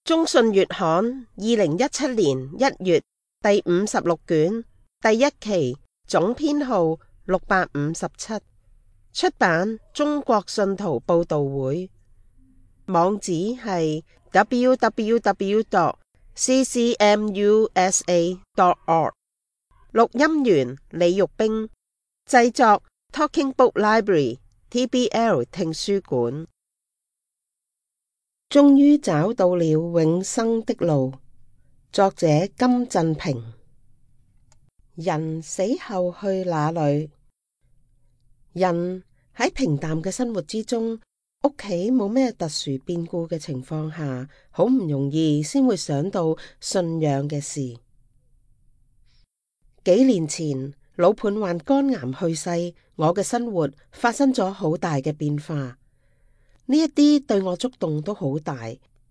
中信月刊2017年1月第56卷第1期總編號657，出版中國信徒報道會，網址係 www.ccmusa.org。 錄音員李玉冰，製作 Talking Book Library TBL 聽書館。終於找到了永生的路。作者金振平。人死後去哪裏？人喺平淡嘅生活之中，屋企冇咩特殊變故嘅情況下，好唔容易先會想到信仰嘅事。幾年前，老伴患肝癌去世，我嘅生活發生咗好大嘅變化。呢一啲對我觸動都好大。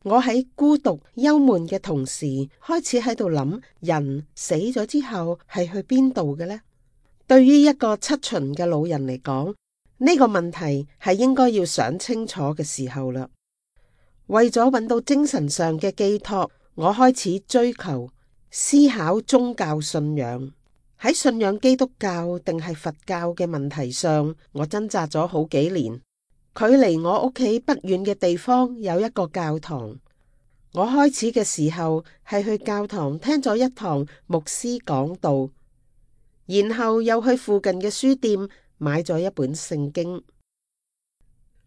我喺孤獨憂悶嘅同時，開始喺度諗，人死咗之後係去邊度嘅呢？對於一個七旬嘅老人嚟講，呢個問題係應該要想清楚嘅時候啦。為咗揾到精神上嘅寄託，我開始追求思考宗教信仰。喺信仰基督教定係佛教嘅問題上，我掙扎咗好幾年。距離我屋企不遠嘅地方有一個教堂。我開始嘅時候係去教堂聽咗一堂牧師講道，然後又去附近嘅書店買咗一本聖經。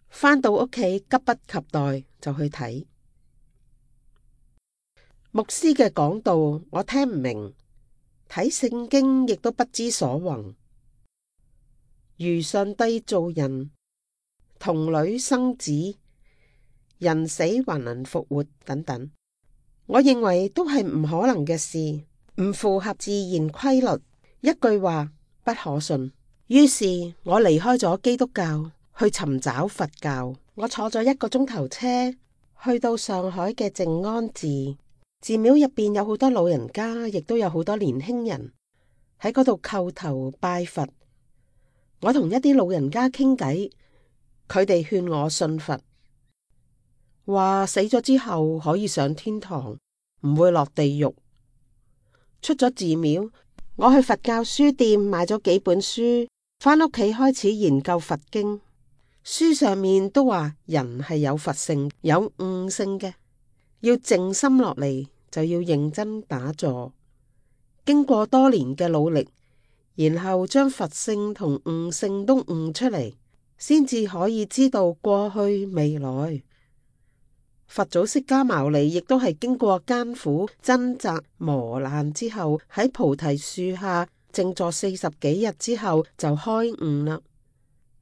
返到屋企急不及待就去睇牧師嘅講道，我聽唔明，睇聖經亦都不知所云。如上帝造人，童女生子，人死還能復活等等，我認為都係唔可能嘅事，唔符合自然規律，一句話不可信。於是我離開咗基督教，去尋找佛教。我坐咗1個鐘頭車，去到上海嘅靜安寺。寺廟入邊有好多老人家，亦都有好多年輕人喺嗰度叩頭拜佛。我同一啲老人家傾偈，佢哋勸我信佛，話死咗之後可以上天堂，唔會落地獄。出咗寺廟，我去佛教書店買咗幾本書，返屋企開始研究佛經。書上面都話人係有佛性、有悟性嘅，要靜心落嚟，就要認真打坐。經過多年嘅努力，然後將佛性同悟性都悟出嚟，先至可以知道過去未來。佛祖釋迦牟尼亦都係經過艱苦掙扎磨難之後，喺菩提樹下靜坐40幾日之後就開悟啦。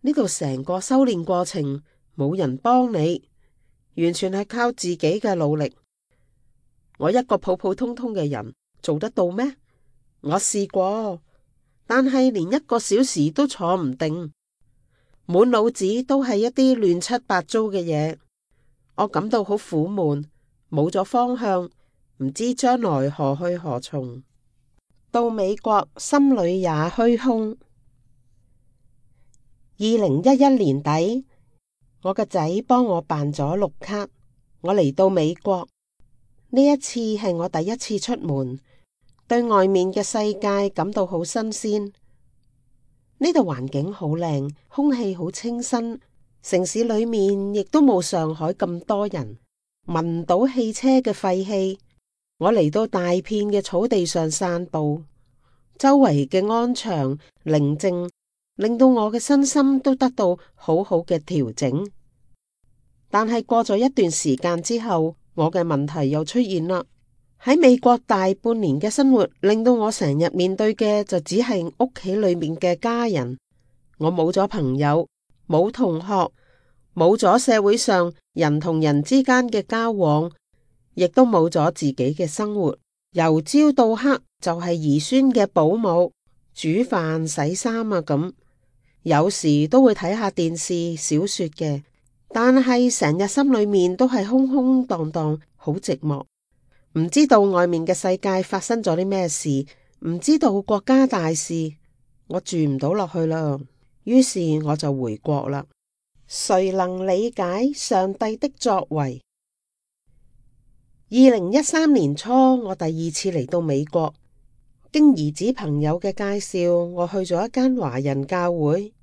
呢度成個修煉過程冇人幫你，完全係靠自己嘅努力。我一個普普通通嘅人做得到咩？我試過，但係連1個小時都坐唔定，滿腦子都係一啲亂七八糟嘅嘢。我感到好苦悶，冇咗方向，唔知將來何去何從。到美國心裏也虛空。2011年底，我個仔幫我辦咗綠卡，我嚟到美國。呢一次係我第一次出門，對外面嘅世界感到好新鮮。呢度環境好靚，空氣好清新。城市裏面亦都冇上海咁多人，聞唔到汽車嘅廢氣。我嚟到大片嘅草地上散步，周圍嘅安詳寧靜，令到我嘅身心都得到好好嘅調整。但係過咗一段時間之後，我嘅問題又出現啦。喺美國大半年嘅生活，令到我成日面對嘅就只係屋企裏面嘅家人。我冇咗朋友，冇同學，冇咗社會上人同人之間嘅交往，亦都冇咗自己嘅生活。由朝到黑就係兒孫嘅保姆、煮飯、洗衫啊咁。有時都會睇下電視、小說嘅，但係成日心裏面都係空空蕩蕩，好寂寞。唔知道外面嘅世界發生咗啲咩事，唔知道國家大事，我住唔到落去啦。於是我就回國啦。誰能理解上帝的作為？ 2013年初，我第2次嚟到美國，經兒子朋友嘅介紹，我去咗一間華人教會。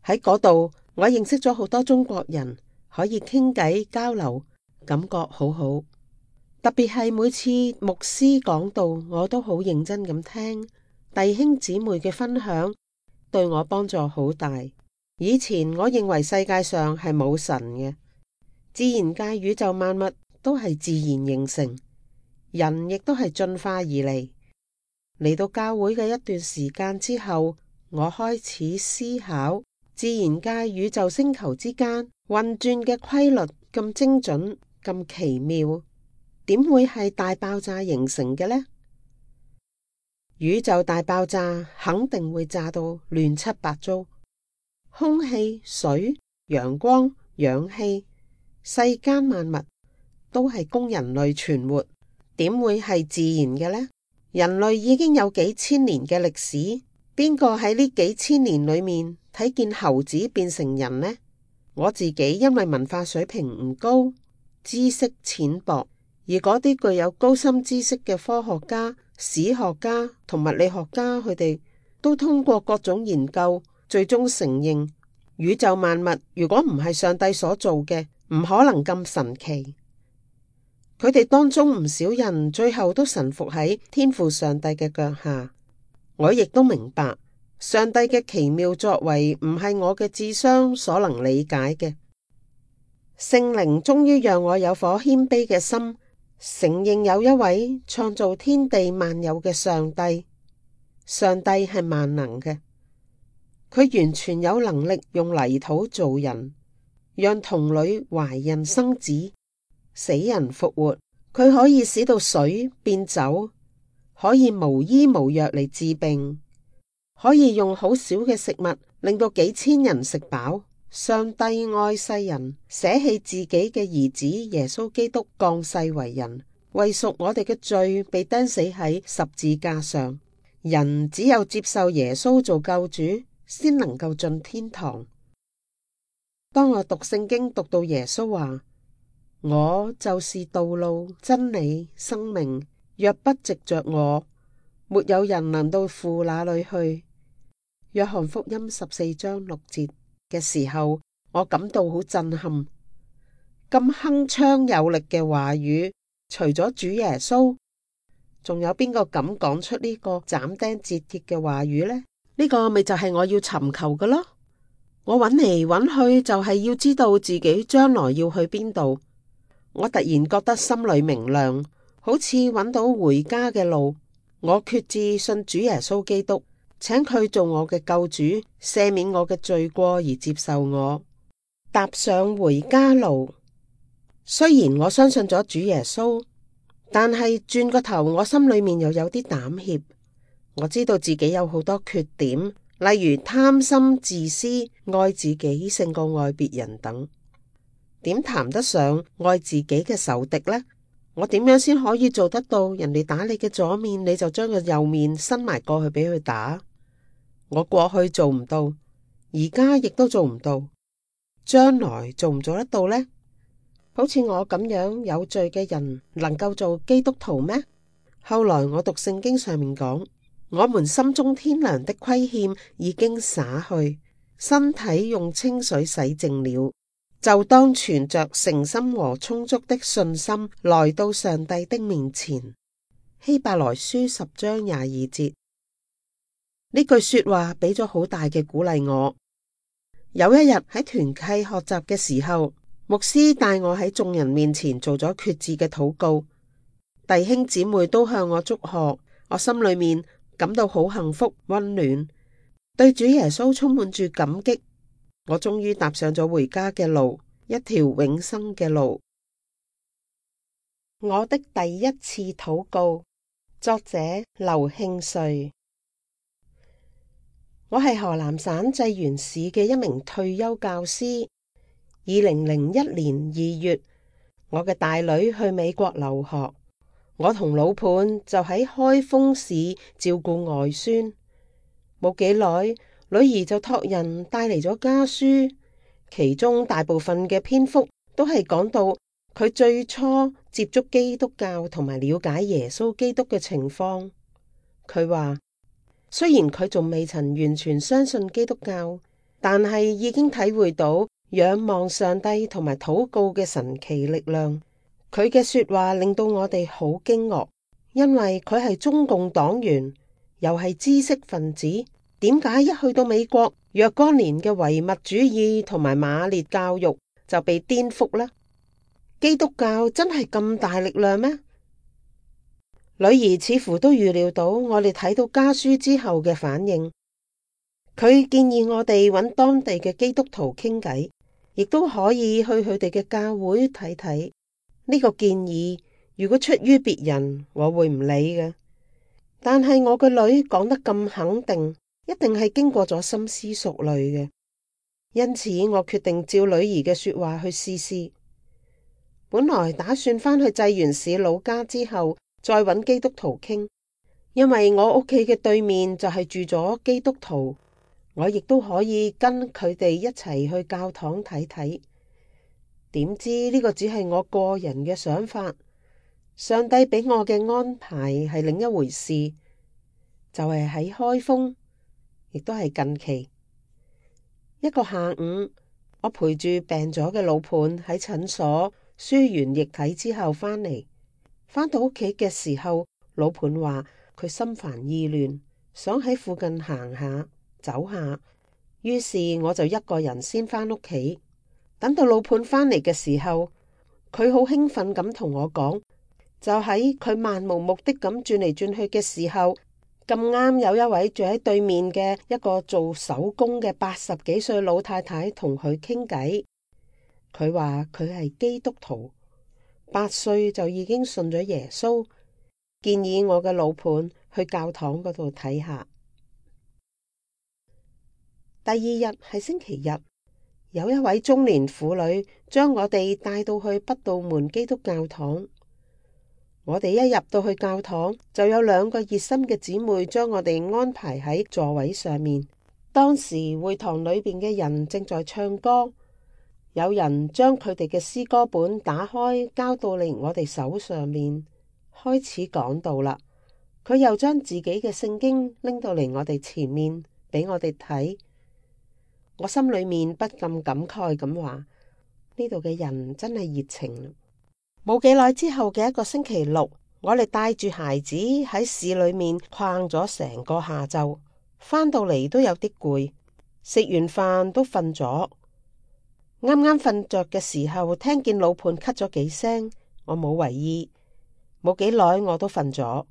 喺嗰度，我認識咗好多中國人，可以傾偈交流，感覺好好。特別係每次牧師講道，我都好認真咁聽，弟兄姊妹嘅分享對我幫助好大。以前我認為世界上係冇神嘅，自然界宇宙萬物都係自然形成，人亦都係進化而嚟。嚟到教會嘅一段時間之後，我開始思考自然界宇宙星球之間運轉嘅規律咁精準、咁奇妙，點會係大爆炸形成嘅呢？宇宙大爆炸肯定會炸到亂七八糟，空氣、水、陽光、氧氣，世間萬物都係供人類存活，點會係自然嘅呢？人類已經有幾千年嘅歷史，邊個喺呢幾千年裏面睇見猴子變成人呢？我自己因為文化水平唔高，知識淺薄，而嗰啲具有高深知識嘅科學家、史學家同物理學家，佢哋都通過各種研究，最終承認宇宙萬物如果唔係上帝所做嘅，唔可能咁神奇。佢哋當中唔少人最後都臣服喺天父上帝嘅腳下。我亦都明白上帝嘅奇妙作為唔係我嘅智商所能理解嘅。聖靈終於讓我有顆謙卑嘅心，承認有一位創造天地萬有嘅上帝。上帝係萬能嘅，佢完全有能力用泥土造人，讓童女懷孕生子，死人復活。佢可以使到水變酒，可以無醫無藥嚟治病，可以用好少嘅食物令到幾千人食飽。上帝愛世人，捨棄自己嘅兒子耶穌基督降世為人，為贖我哋嘅罪被釘死喺十字架上。人只有接受耶穌做救主，先能夠進天堂。當我讀聖經讀到耶穌話，我就是道路、真理、生命，若不藉着我，沒有人能到父那裏去。約翰福音14章6節嘅時候，我感到好震撼。咁鏗鏘有力嘅話語，除咗主耶穌，仲有邊個敢講出呢個斬釘截鐵嘅話語呢？呢個咪就係我要尋求嘅咯。我揾嚟揾去，就係要知道自己將來要去邊度。我突然覺得心裏明亮，好似揾到回家嘅路。我決志信主耶穌基督，請佢做我嘅救主，赦免我嘅罪過而接受我，踏上回家路。雖然我相信咗主耶穌，但係轉個頭，我心裏面又有啲膽怯。我知道自己有好多缺點，例如貪心、自私、愛自己勝過愛別人等。點談得上愛自己嘅仇敵呢？我點樣先可以做得到？人哋打你嘅左面，你就將個右面伸埋過去俾佢打。我過去做唔到，而家亦都做唔到，將來做唔做得到呢？好似我咁樣有罪嘅人，能夠做基督徒咩？後來我讀聖經上面講，我們心中天良的虧欠已經灑去，身體用清水洗淨了，就當存着誠心和充足的信心來到上帝的面前。希伯來書10章22節。呢句說話俾咗好大嘅鼓勵我。有一日喺團契學習嘅時候，牧師帶我喺眾人面前做咗決志嘅禱告，弟兄姊妹都向我祝賀，我心裏面感到好幸福溫暖，對主耶穌充滿住感激。我終於踏上咗回家嘅路，一條永生嘅路。我的第一次禱告，作者劉慶瑞。我係河南省濟源市嘅一名退休教師。2001年2月，我嘅大女去美國留學，我同老伴就喺開封市照顧外孫。冇幾耐，女兒就託人帶嚟咗家書，其中大部分嘅篇幅都係講到佢最初接觸基督教同埋了解耶穌基督嘅情況。佢話雖然佢仲未曾完全相信基督教，但係已經體會到仰望上帝同埋禱告嘅神奇力量。佢嘅說話令到我哋好驚愕，因為佢係中共黨員，又係知識分子，點解一去到美國，若干年嘅唯物主義同埋馬列教育就被顛覆呢？基督教真係咁大力量咩？女兒似乎都預料到我哋睇到家書之後嘅反應，佢建議我哋揾當地嘅基督徒傾偈，亦都可以去佢哋嘅教會睇睇。呢個建議如果出於別人，我會唔理嘅，但係我個女講得咁肯定，一定係經過咗深思熟慮嘅，因此我決定照女兒嘅說話去試試。本來打算返去濟源市老家之後再揾基督徒傾，因為我屋企嘅對面就係住咗基督徒，我亦都可以跟佢哋一齊去教堂睇睇。點知呢個只係我個人嘅想法，上帝俾我嘅安排係另一回事，就係喺開封，亦都係近期一個下午，我陪住病咗嘅老伴喺診所輸完液體之後返嚟。返到屋企嘅時候，老伴話佢心煩意亂，想喺附近行下走下，於是我就一個人先返屋企。等到老伴返嚟嘅時候，佢好興奮咁同我講，就喺佢漫無目的咁轉嚟轉去嘅時候，咁啱有一位住喺對面嘅一個做手工嘅80幾歲老太太同佢傾偈。佢話佢係基督徒，8歲就已經信咗耶穌，建議我嘅老伴去教堂嗰度睇下。第二日係星期日，有一位中年婦女將我哋帶到去北道門基督教堂。我哋一入到去教堂，就有2個熱心嘅姊妹將我哋安排喺座位上面。當時會堂裏邊嘅人正在唱歌，有人將佢哋嘅詩歌本打開，交到嚟我哋手上面，開始講道啦。佢又將自己嘅聖經拎到嚟我哋前面，俾我哋睇。我心裏面不禁感慨咁話：呢度嘅人真係熱情。冇幾耐之後嘅一個星期六，我哋帶住孩子喺市裏面逛咗成個下晝，返到嚟都有啲攰，食完飯都瞓咗。啱啱瞓着嘅時候，聽見老伴咳咗幾聲，我冇為意。冇幾耐我都瞓咗。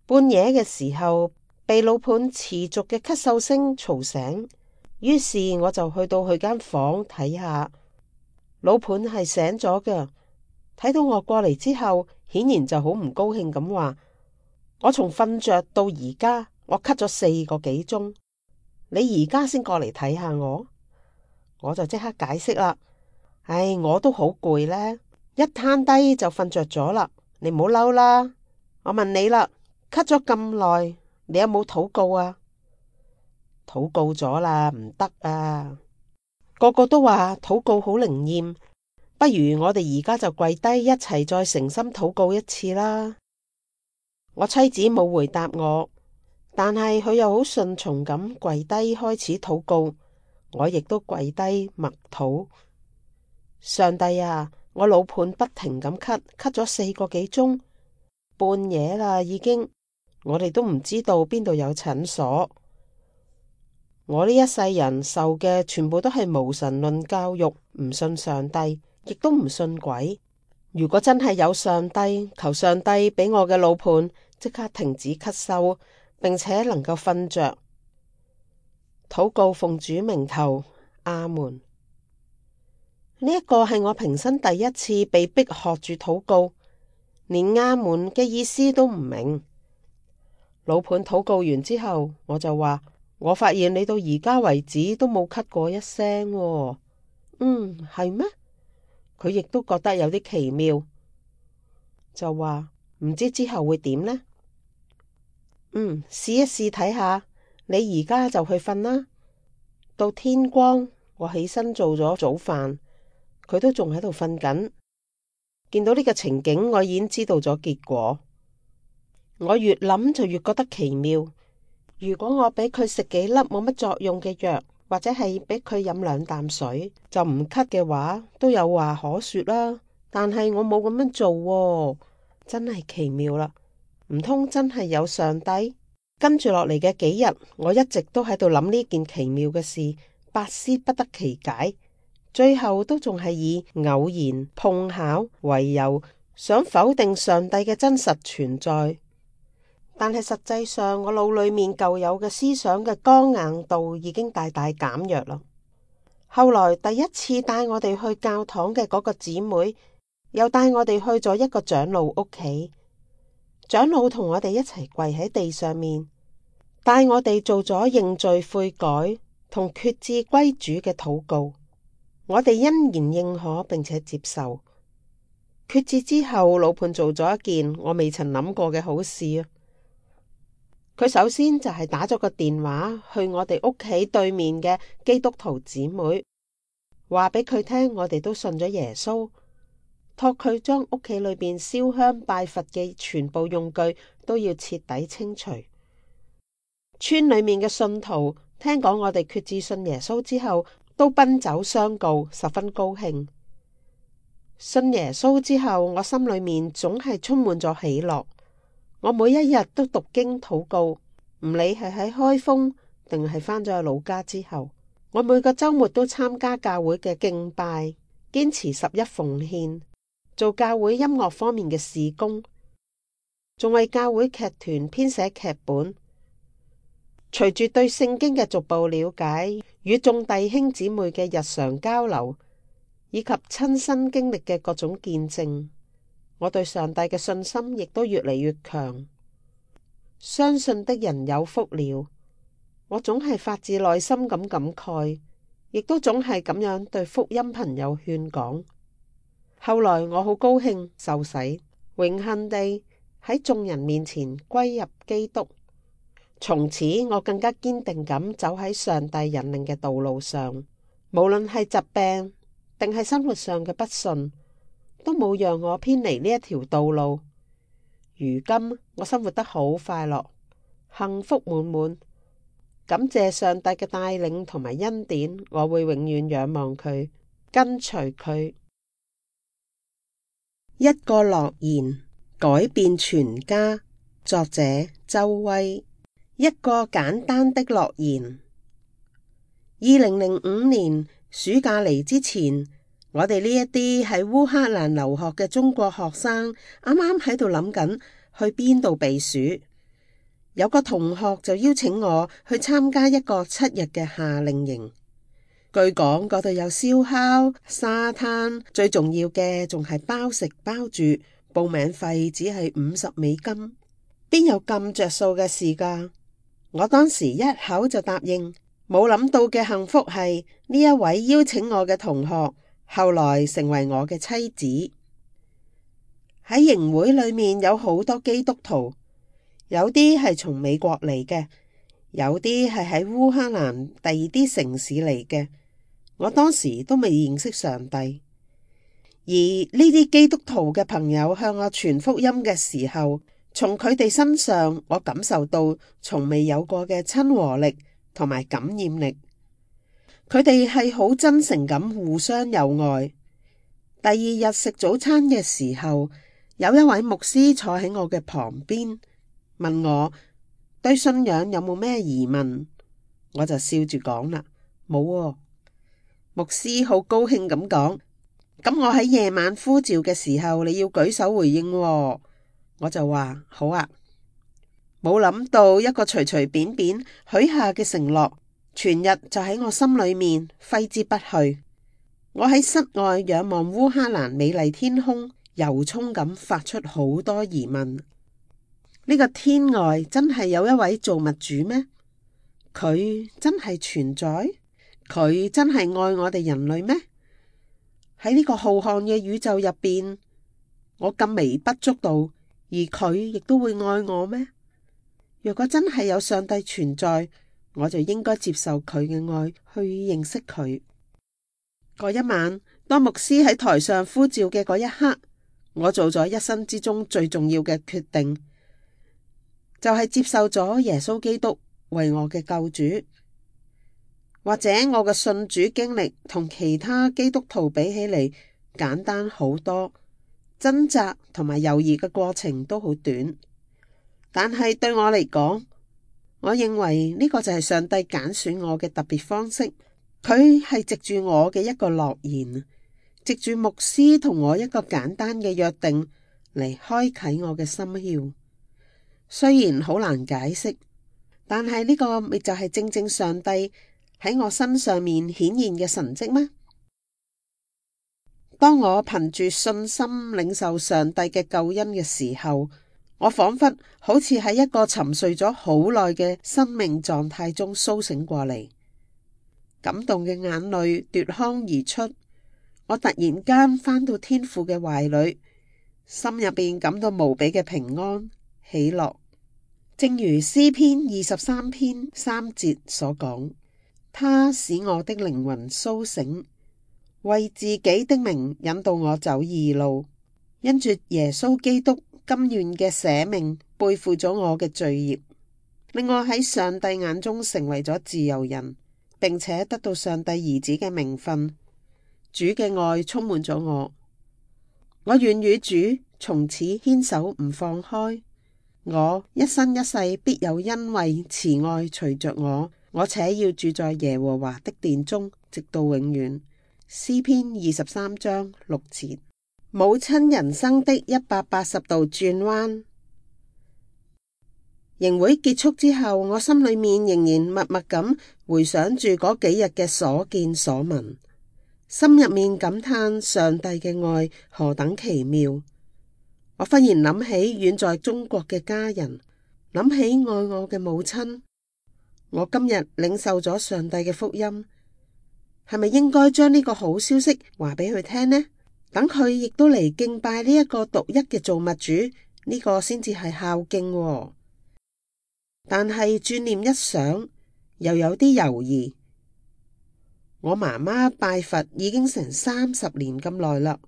半夜嘅時候，被老伴持續嘅咳嗽聲嘈醒。於是我就去到佢間房睇下，老伴係醒咗嘅。睇到我過嚟之後，顯然就好唔高興咁話：我從瞓着到而家，我咳咗4個幾鐘，你而家先過嚟睇下我？我就即刻解釋啦。唉，我都好攰呢，一攤低就瞓着咗啦。你唔好嬲啦。我問你啦，咳咗咁耐，你有冇禱告啊？禱告咗啦，唔得啊！個個都話禱告好靈驗，不如我哋而家就跪低一齊再誠心禱告一次啦。我妻子冇回答我，但係佢又好順從咁跪低開始禱告，我亦都跪低默禱。上帝啊，我老伴不停咁咳，咳咗4個幾鐘，半夜啦已經，我哋都唔知道邊度有診所。我呢一世人受嘅全部都係無神論教育，唔信上帝，亦都唔信鬼。如果真係有上帝，求上帝俾我嘅老伴即刻停止咳嗽，並且能夠瞓着。禱告奉主名求，阿門。呢一個係我平生第一次被逼學住禱告，連阿門嘅意思都唔明。老伴禱告完之後，我就話：我發現你到而家為止都冇咳過一聲喎。係咩？佢亦都覺得有啲奇妙，就話唔知之後會點呢？試一試睇下。你而家就去瞓啦。到天光，我起身做咗早飯，佢都仲喺度瞓緊。見到呢個情景，我已經知道咗結果。我越諗就越覺得奇妙。如果我俾佢食幾粒冇乜作用嘅藥，或者係俾佢飲2啖水就唔咳嘅話，都有話可說啦。但係我冇咁樣做喎，真係奇妙啦！唔通真係有上帝？跟住落嚟嘅幾日，我一直都喺度諗呢件奇妙嘅事，百思不得其解。最後都仲係以偶然碰巧為由，想否定上帝嘅真實存在。但係實際上，我腦裏面舊有嘅思想嘅剛硬度已經大大減弱啦。後來第一次帶我哋去教堂嘅嗰個姊妹，又帶我哋去咗一個長老屋企。長老同我哋一齊跪喺地上面，帶我哋做咗認罪悔改同決志歸主嘅禱告。我哋欣然認可並且接受。決志之後，老伴做咗一件我未曾諗過嘅好事啊！佢首先就係打咗個電話去我哋屋企對面嘅基督徒姊妹，話俾佢聽我哋都信咗耶穌，託佢將屋企裏邊燒香拜佛嘅全部用具都要徹底清除。村裏面嘅信徒聽講我哋決志信耶穌之後，都奔走相告，十分高興。信耶穌之後，我心裏面總係充滿咗喜樂。我每一日都讀經禱告，唔理係喺開封定係返咗去老家之後，我每個週末都參加教會嘅敬拜，堅持11奉獻，做教會音樂方面嘅事工，仲為教會劇團編寫劇本。隨住對聖經嘅逐步了解，與眾弟兄姊妹嘅日常交流，以及親身經歷嘅各種見證，我對上帝嘅信心亦都越嚟越強。相信的人有福了，我總係發自內心咁感慨，亦都總係咁樣對福音朋友勸講。後來我好高興受洗，榮幸地喺眾人面前歸入基督。從此我更加堅定咁走喺上帝引領嘅道路上，無論係疾病定係生活上嘅不順，都冇讓我偏離呢一條道路。如今我生活得好快樂，幸福滿滿，感謝上帝嘅帶領同埋恩典，我會永遠仰望佢，跟隨佢。一個諾言改變全家，作者周威。一個簡單的諾言。2005年暑假嚟之前，我哋呢一啲喺烏克蘭留學嘅中國學生，啱啱喺度諗緊去邊度避暑。有個同學就邀請我去參加一個7日嘅夏令營。據講嗰度有燒烤、沙灘，最重要嘅仲係包食包住，報名費只係$50，邊有咁着數嘅事㗎？我當時一口就答應，冇諗到嘅幸福係呢一位邀請我嘅同學，後來成為我嘅妻子。喺營會裏面有好多基督徒，有啲係從美國嚟嘅，有啲係喺烏克蘭第二啲城市嚟嘅。我當時都未認識上帝，而呢啲基督徒嘅朋友向我傳福音嘅時候，從佢哋身上，我感受到從未有過嘅親和力同埋感染力。佢哋係好真誠咁互相友愛。第二日食早餐嘅時候，有一位牧師坐喺我嘅旁邊，問我對信仰有冇咩疑問。我就笑住講啦，冇喎。牧師好高興咁講，咁我喺夜晚呼召嘅時候，你要舉手回應喎。我就話好啊，冇諗到一個隨隨便便許下嘅承諾，全日就喺我心裏面揮之不去。我喺室外仰望烏克蘭美麗天空，由衷咁發出好多疑問。呢個天外真係有一位造物主咩？佢真係存在？佢真係愛我哋人類咩？喺呢個浩瀚嘅宇宙入邊，我咁微不足道，而佢亦都會愛我咩？若果真係有上帝存在，我就應該接受佢嘅愛，去認識佢。嗰一晚，當牧師喺台上呼召嘅嗰一刻，我做咗一生之中最重要嘅決定，就係接受咗耶穌基督為我嘅救主。或者我嘅信主經歷同其他基督徒比起嚟簡單好多，掙扎同埋猶豫嘅過程都好短，但係對我嚟講，我認為呢個就係上帝揀選我嘅特別方式。佢係藉住我嘅一個諾言，藉住牧師同我一個簡單嘅約定嚟開啟我嘅心竅。雖然好難解釋，但係呢個咪就係正正上帝喺我身上面顯現嘅神蹟咩？當我憑住信心領受上帝嘅救恩嘅時候，我仿佛好似喺一個沉睡咗好耐嘅生命狀態中甦醒過嚟，感動嘅眼淚奪眶而出。我突然間返到天父嘅懷裏，心入邊感到無比嘅平安喜樂。正如詩篇23篇3節所講，他使我的靈魂甦醒，為自己的名引導我走義路，因住耶穌基督甘願嘅捨命，背負咗我嘅罪孽，令我喺上帝眼中成為咗自由人，並且得到上帝兒子嘅名分。主嘅愛充滿咗我，我願與主從此牽手唔放開。我一生一世必有恩惠慈愛隨着我，我且要住在耶和華的殿中，直到永遠。詩篇23章6節。母親人生的180度轉彎。營會結束之後，我心裏面仍然默默咁回想住嗰幾日嘅所見所聞，心入面感嘆上帝嘅愛何等奇妙。我忽然諗起遠在中國嘅家人，諗起愛我嘅母親。我今日領受咗上帝嘅福音，係咪應該將呢個好消息話俾佢聽呢？等佢亦都嚟敬拜呢一個獨一嘅造物主，呢個先至係孝敬喎。但係轉念一想，又有啲猶豫。我媽媽拜佛已經成30年咁耐啦。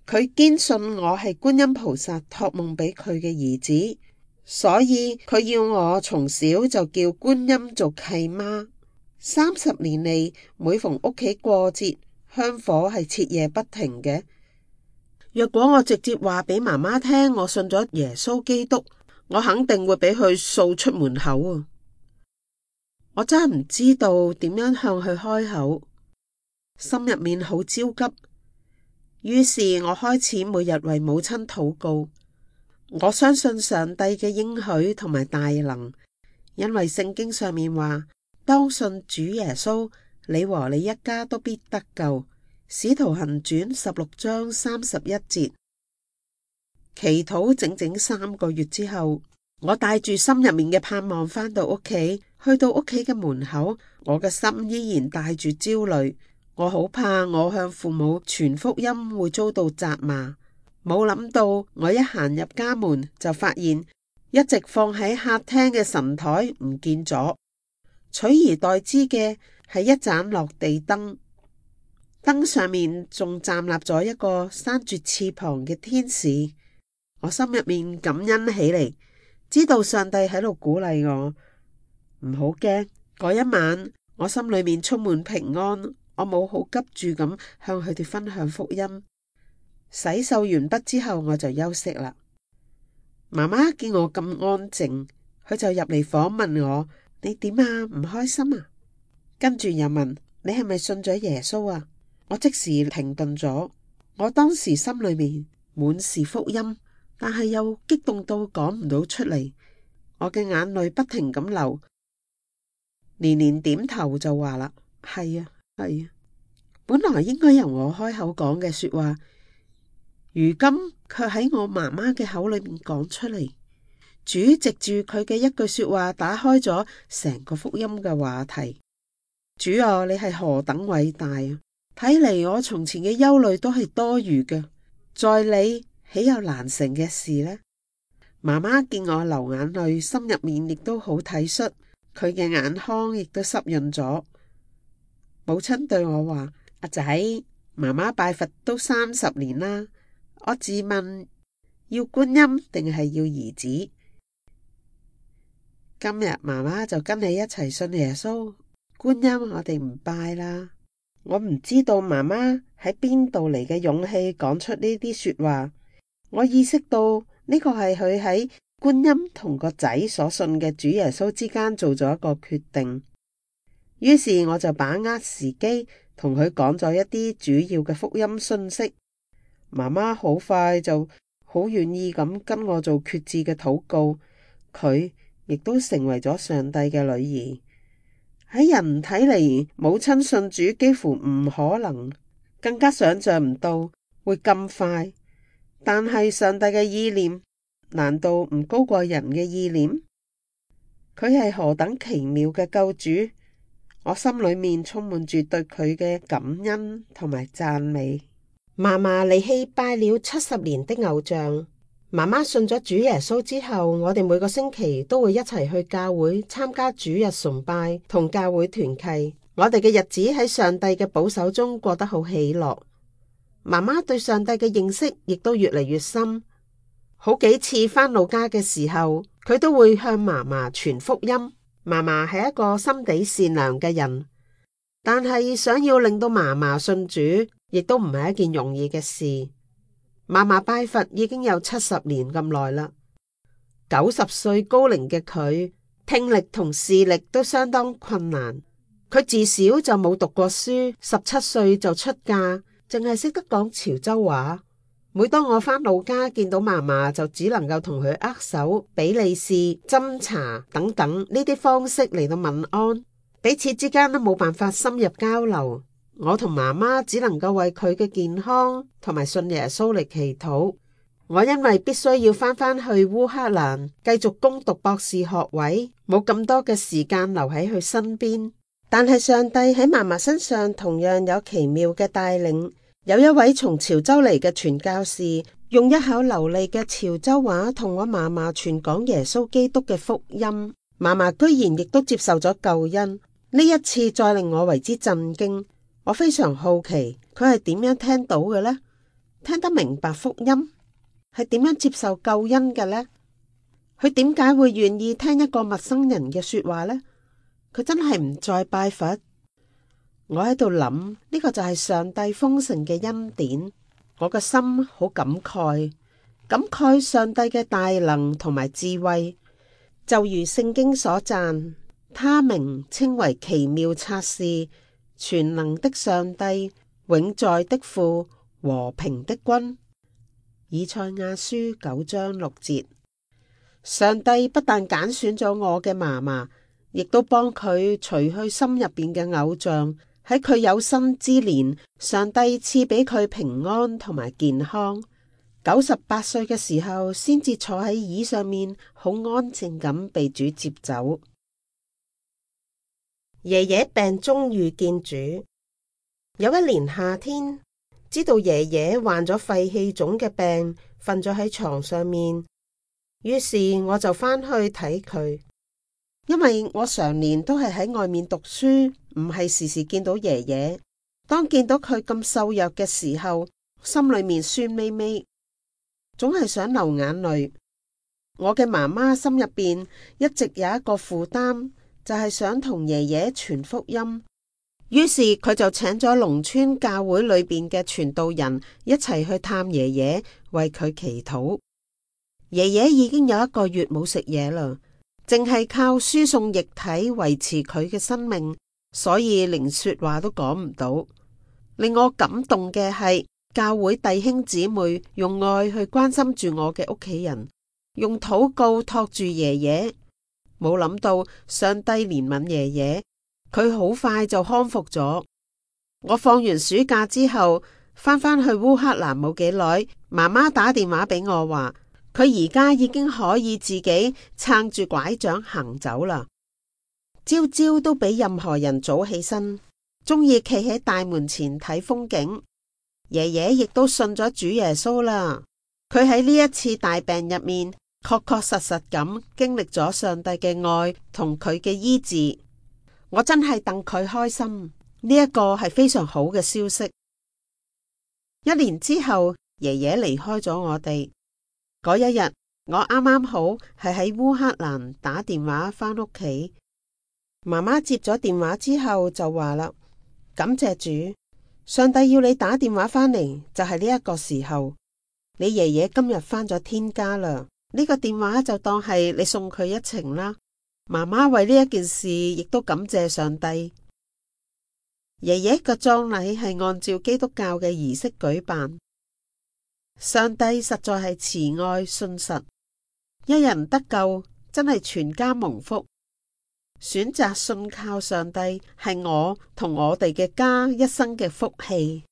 佢堅信我係觀音菩薩託夢俾佢嘅兒子，所以佢要我從小就叫觀音做契媽。30年嚟，每逢屋企過節，香火係徹夜不停嘅。若果我直接話俾媽媽聽我信咗耶穌基督，我肯定會俾佢掃出門口啊！我真係唔知道點樣向佢開口，心入面好焦急。於是我開始每日為母親禱告。我相信上帝嘅應許同埋大能，因為聖經上面話，當信主耶穌，你和你一家都必得救。使徒行傳16章31節。祈禱整整3個月之後，我帶住心入面嘅盼望返到屋企，去到屋企嘅門口，我嘅心依然帶住焦慮。我好怕我向父母傳福音會遭到責罵，冇諗到我一行入家門就發現一直放喺客廳嘅神台唔見咗，取而代之嘅係一盞落地燈，燈上面仲站立咗一個生住翅膀嘅天使。我心入面感恩起嚟，知道上帝喺度鼓勵我，唔好驚。嗰一晚我心裏面充滿平安。我冇好急住咁向佢哋分享福音。洗漱完畢之後，我就休息啦。媽媽見我咁安靜，佢就入嚟訪問我：你點啊？唔開心啊？跟住又問：你係咪信咗耶穌啊？我即時停頓咗。我當時心裏面滿是福音，但係又激動到講唔到出嚟。我嘅眼淚不停咁流，連連點頭就話啦：係啊。係啊，本來應該由我開口講嘅說話，如今卻喺我媽媽嘅口裏面講出嚟。主藉住佢嘅一句說話，打開咗成個福音嘅話題。主啊，你係何等偉大啊！睇嚟我從前嘅憂慮都係多餘嘅，在你豈有難成嘅事呢？媽媽見我流眼淚，心入面亦都好體恤，佢嘅眼眶亦都濕潤咗。母親對我話：阿仔，媽媽拜佛都30年啦，我自問要觀音定係要兒子？今日媽媽就跟你一齊信耶穌，觀音我哋唔拜啦。我唔知道媽媽喺邊度嚟嘅勇氣講出呢啲說話。我意識到呢個係佢喺觀音同個仔所信嘅主耶穌之間做咗一個決定。於是我就把握時機同佢講咗一啲主要嘅福音信息。媽媽好快就好願意咁跟我做決志嘅禱告，佢亦都成為咗上帝嘅女兒。喺人睇嚟，母親信主幾乎唔可能，更加想象唔到會咁快。但係上帝嘅意念難道唔高過人嘅意念？佢係何等奇妙嘅救主！我心裏面充滿住對佢嘅感恩同埋讚美。嫲嫲離棄拜了70年的偶像。媽媽信咗主耶穌之後，我哋每個星期都會一齊去教會參加主日崇拜同教會團契。我哋嘅日子喺上帝嘅保守中過得好喜樂。媽媽對上帝嘅認識亦都越嚟越深。好幾次返老家嘅時候，佢都會向嫲嫲傳福音。嫲嫲係一個心地善良嘅人，但係想要令到嫲嫲信主，亦都唔係一件容易嘅事。嫲嫲拜佛已經有70年咁耐啦，90歲高齡嘅佢，聽力同視力都相當困難。佢自小就冇讀過書，17歲就出嫁，淨係識得講潮州話。每當我返老家見到嫲嫲，就只能夠同佢握手、比利是、斟茶等等呢啲方式嚟到問安，彼此之間都冇辦法深入交流。我同媽媽只能夠為佢嘅健康同埋信耶穌嚟祈禱。我因為必須要返去烏克蘭繼續攻讀博士學位，冇咁多嘅時間留喺佢身邊。但係上帝喺嫲嫲身上同樣有奇妙嘅帶領。有一位從潮州嚟嘅傳教士，用一口流利嘅潮州話同我嫲嫲傳講耶穌基督嘅福音。嫲嫲居然亦都接受咗救恩。呢一次再令我為之震驚。我非常好奇佢係點樣聽到嘅呢？聽得明白福音？係點樣接受救恩嘅呢？佢點解會願意聽一個陌生人嘅說話呢？佢真係唔再拜佛？我喺度諗，呢個就係上帝豐盛嘅恩典。我個心好感慨，感慨上帝嘅大能同埋智慧。就如聖經所讚，他名稱為奇妙策士，全能的上帝，永在的父，和平的君。以賽亞書9章6節。上帝不但揀選咗我嘅嫲嫲，亦都幫佢除去心入邊嘅偶像。喺佢有生之年，上帝賜俾佢平安同埋健康。98歲嘅時候，先至坐喺椅上面，好安靜咁被主接走。爺爺病中遇見主。有一年夏天，知道爺爺患咗肺氣腫嘅病，瞓咗喺床上面，於是我就返去睇佢。因為我常年都係喺外面讀書，唔係時時見到爺爺。當見到佢咁瘦弱嘅時候，心裏面酸咪咪，總係想流眼淚。我嘅媽媽心入邊一直有一個負擔，就係想同爺爺傳福音。於是佢就請咗農村教會裏邊嘅傳道人一齊去探爺爺，為佢祈禱。爺爺已經有1個月冇食嘢啦，淨係靠輸送液體維持佢嘅生命，所以連說話都講唔到。令我感動嘅係教會弟兄姊妹用愛去關心住我嘅屋企人，用禱告托住爺爺。冇諗到上帝憐憫爺爺，佢好快就康復咗。我放完暑假之後返去烏克蘭冇幾耐，媽媽打電話俾我話，佢而家已經可以自己撐住拐杖行走啦。朝朝都比任何人早起身，鍾意企喺大門前睇風景。爺爺亦都信咗主耶穌啦。佢喺呢一次大病入面，確確實實咁經歷咗上帝嘅愛同佢嘅醫治。我真係戥佢開心，呢一個係非常好嘅消息。1年之後，爺爺離開咗我哋。嗰一日，我啱啱好係喺烏克蘭打電話返屋企。媽媽接咗電話之後就話啦：感謝主，上帝要你打電話返嚟，就係呢一個時候。你爺爺今日返咗天家啦，呢個電話就當係你送佢一程啦。媽媽為呢一件事亦都感謝上帝。爺爺嘅葬禮係按照基督教嘅儀式舉辦。上帝實在係慈愛信實，一人得救真係全家蒙福。選擇信靠上帝係我同我哋嘅家一生嘅福氣。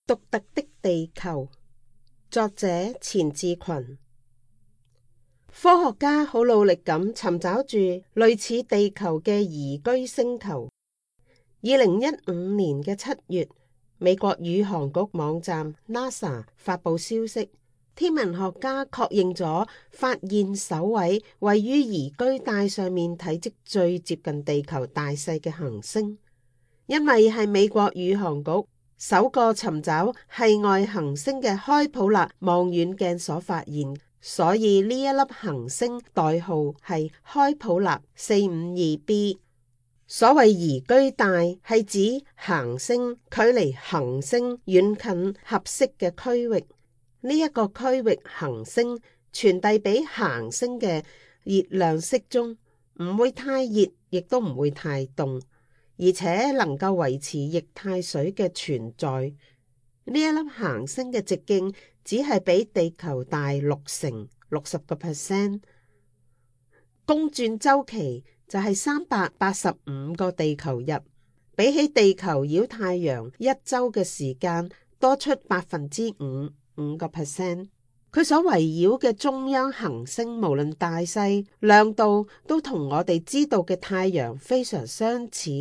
獨特的地球，作者錢志群。科學家好努力咁尋找住類似地球嘅宜居星球。2015年嘅7月，美國宇航局網站 NASA 發佈消息，天文學家確認咗發現首位位於宜居帶上面體積最接近地球大細嘅行星。因為係美國宇航局首個尋找系外行星嘅開普勒望遠鏡所發現，所以呢一粒行星代號係開普勒 452b。所謂宜居帶係指行星距離行星遠近合適嘅區域，呢一個區域行星傳遞俾行星嘅熱量適中，唔會太熱，亦都唔會太凍，而且能夠維持液態水嘅存在。呢一粒行星嘅直徑只係比地球大60%，公轉週期就係385個地球日，比起地球繞太陽一周嘅時間多出5%。佢所圍繞嘅中央行星無論大細、亮度都同我哋知道嘅太陽非常相似。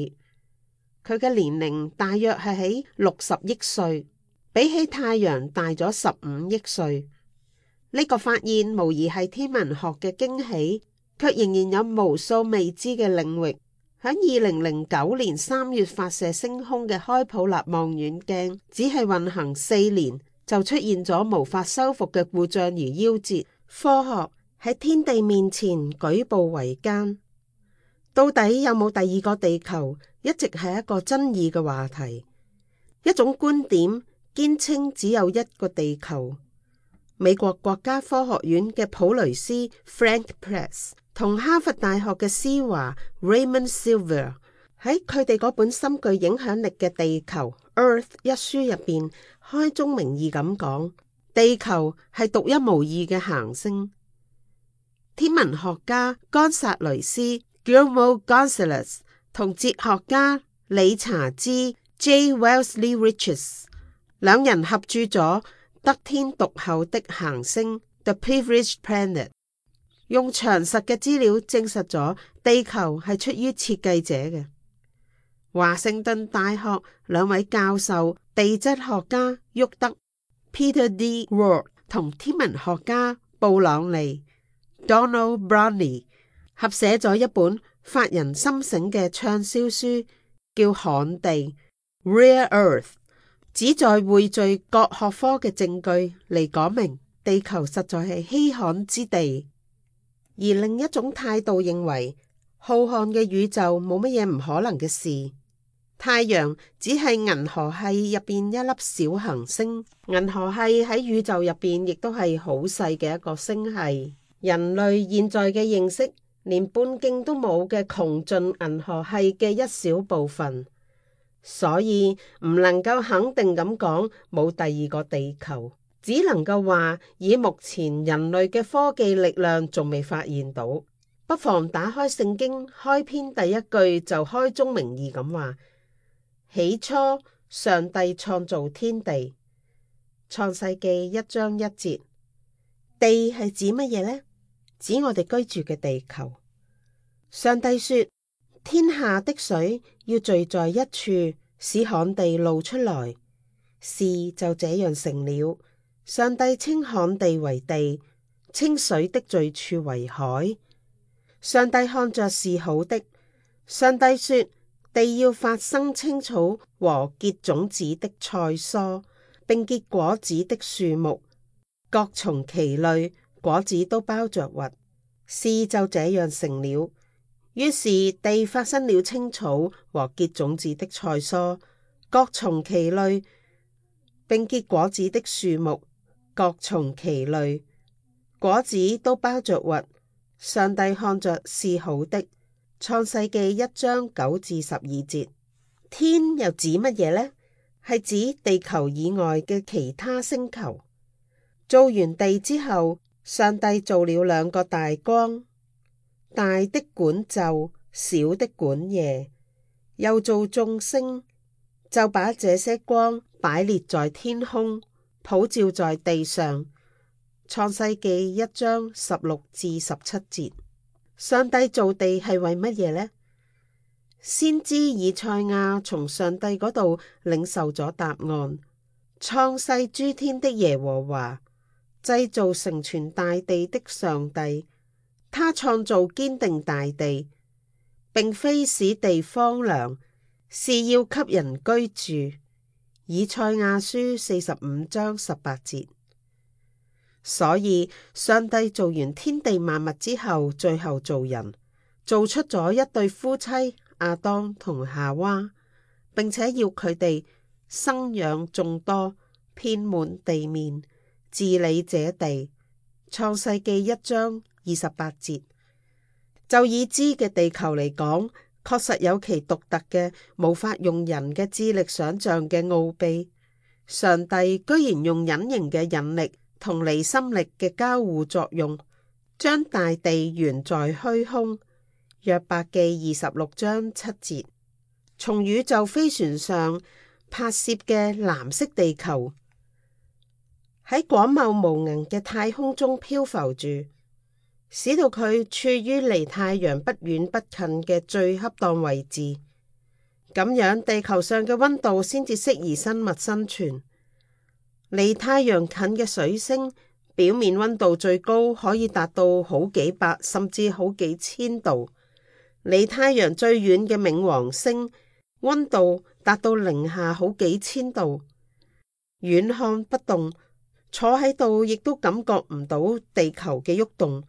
佢嘅年齡大約係喺60億歲，比起太陽大咗15億歲。呢個發現無疑係天文學嘅驚喜。卻仍然有無數未知嘅領域。喺2009年3月發射升空嘅開普勒望遠鏡，只係運行4年就出現咗無法修復嘅故障而夭折。科學喺天地面前舉步維艱。到底有冇第二個地球，一直係一個爭議嘅話題。一種觀點堅稱只有一個地球。美國國家科學院嘅普雷斯 Frank Press 同哈佛大學嘅施華 Raymond Silver 喺佢哋嗰本深具影響力嘅《地球 Earth》一書入邊開宗明義咁講，地球係獨一無二嘅行星。天文學家岡薩雷斯 Guillermo Gonzalez 同哲學家理查茲 J. Wellesley Riches 兩人合著咗得天獨厚的行星 The Privileged Planet， 用詳實嘅資料證實咗地球係出於設計者嘅。華盛頓大學兩位教授地質學家沃德 Peter D. Ward 同天文學家布朗尼 Donald Brownie 合寫咗一本發人深省嘅暢銷書，叫《旱地》Rare Earth，旨在匯聚各學科嘅證據嚟講明地球實在係稀罕之地。而另一種態度認為，浩瀚嘅宇宙冇乜嘢唔可能嘅事。太陽只係銀河系入邊一粒小行星，銀河系喺宇宙入邊亦都係好細嘅一個星系。人類現在嘅認識，連半徑都冇嘅窮盡銀河系嘅一小部分。所以唔能夠肯定咁講冇第二個地球，只能夠話以目前人類嘅科技力量仲未發現到。不妨打開聖經開篇第一句就開宗明義咁話：起初上帝創造天地。創世記1章1節。地係指乜嘢呢？指我哋居住嘅地球。上帝說，天下的水要聚在一處，使旱地露出來，事就這樣成了。上帝稱旱地為地，稱水的聚處為海。上帝看着是好的。上帝說，地要發生青草和結種子的菜蔬，並結果子的樹木，各從其類，果子都包着核。事就這樣成了。於是地發生了青草和結種子的菜蔬，各從其類，並結果子的樹木，各從其類，果子都包着核。上帝看着是好的。創世記1章9至12節。天又指乜嘢呢？係指地球以外嘅其他星球。造完地之後，上帝造了2個大光，大的管晝，小的管夜。又造眾星，就把這些光擺列在天空，普照在地上。創世記1章16至17節。上帝造地係為乜嘢呢？先知以賽亞從上帝嗰度領受咗答案。創世諸天的耶和華，製造成全大地的上帝，他創造堅定大地，並非使地荒涼，是要給人居住。以賽亞書45章18節。所以上帝造完天地萬物之後，最後造人，做出咗一對夫妻亞當同夏娃，並且要佢哋生養眾多，遍滿地面，治理這地。創世記1章28節。就已知嘅地球嚟講，確實有其獨特嘅、無法用人嘅智力想象嘅奧秘。上帝居然用隱形嘅引力同離心力嘅交互作用，將大地懸在虛空。約伯記26章7節。從宇宙飛船上拍攝嘅藍色地球，喺廣袤無垠嘅太空中漂浮住，使到佢處於離太陽不遠不近嘅最恰當位置。咁樣地球上嘅溫度先至適宜生物生存。離太陽近嘅水星，表面溫度最高可以達到好幾百甚至好幾千度。離太陽最遠嘅冥王星，溫度達到零下好幾千度。遠看不動，坐喺度亦都感覺唔到地球嘅喐動，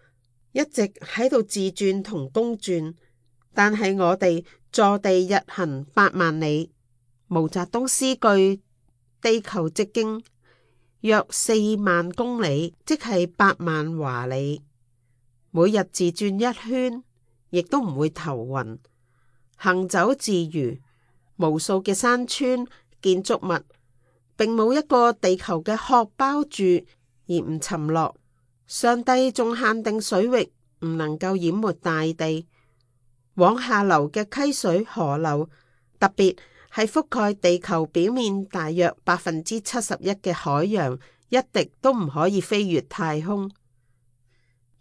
一直喺度自轉同公轉。但係我哋坐地日行8萬里。毛澤東詩句：地球直徑約4萬公里，即係8萬華里。每日自轉一圈，亦都唔會頭暈。行走自如，無數嘅山川建築物，並冇一個地球嘅殼包住而唔沉落。上帝仲限定水域唔能夠淹沒大地。往下流嘅溪水河流，特別係覆蓋地球表面大約71%嘅海洋，一滴都唔可以飛越太空。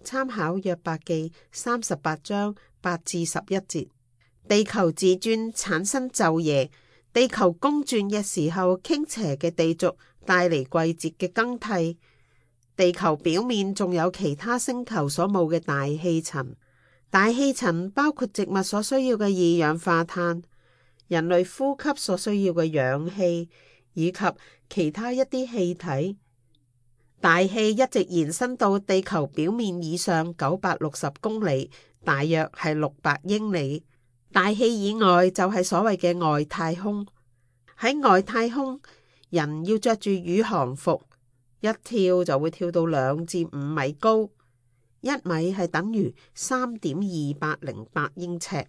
參考約伯記38章8至11節。地球自轉產生晝夜，地球公轉嘅時候，傾斜嘅地軸帶嚟季節嘅更替。地球表面仲有其他星球所冇嘅大氣層，大氣層包括植物所需要嘅二氧化碳，人類呼吸所需要嘅氧氣，以及其他一啲氣體。大氣一直延伸到地球表面以上960公里，大約係600英里。大氣以外就係所謂嘅外太空。喺外太空，人要着住宇航服，一跳就會跳到2至5米高，1米係等於3.2808英尺。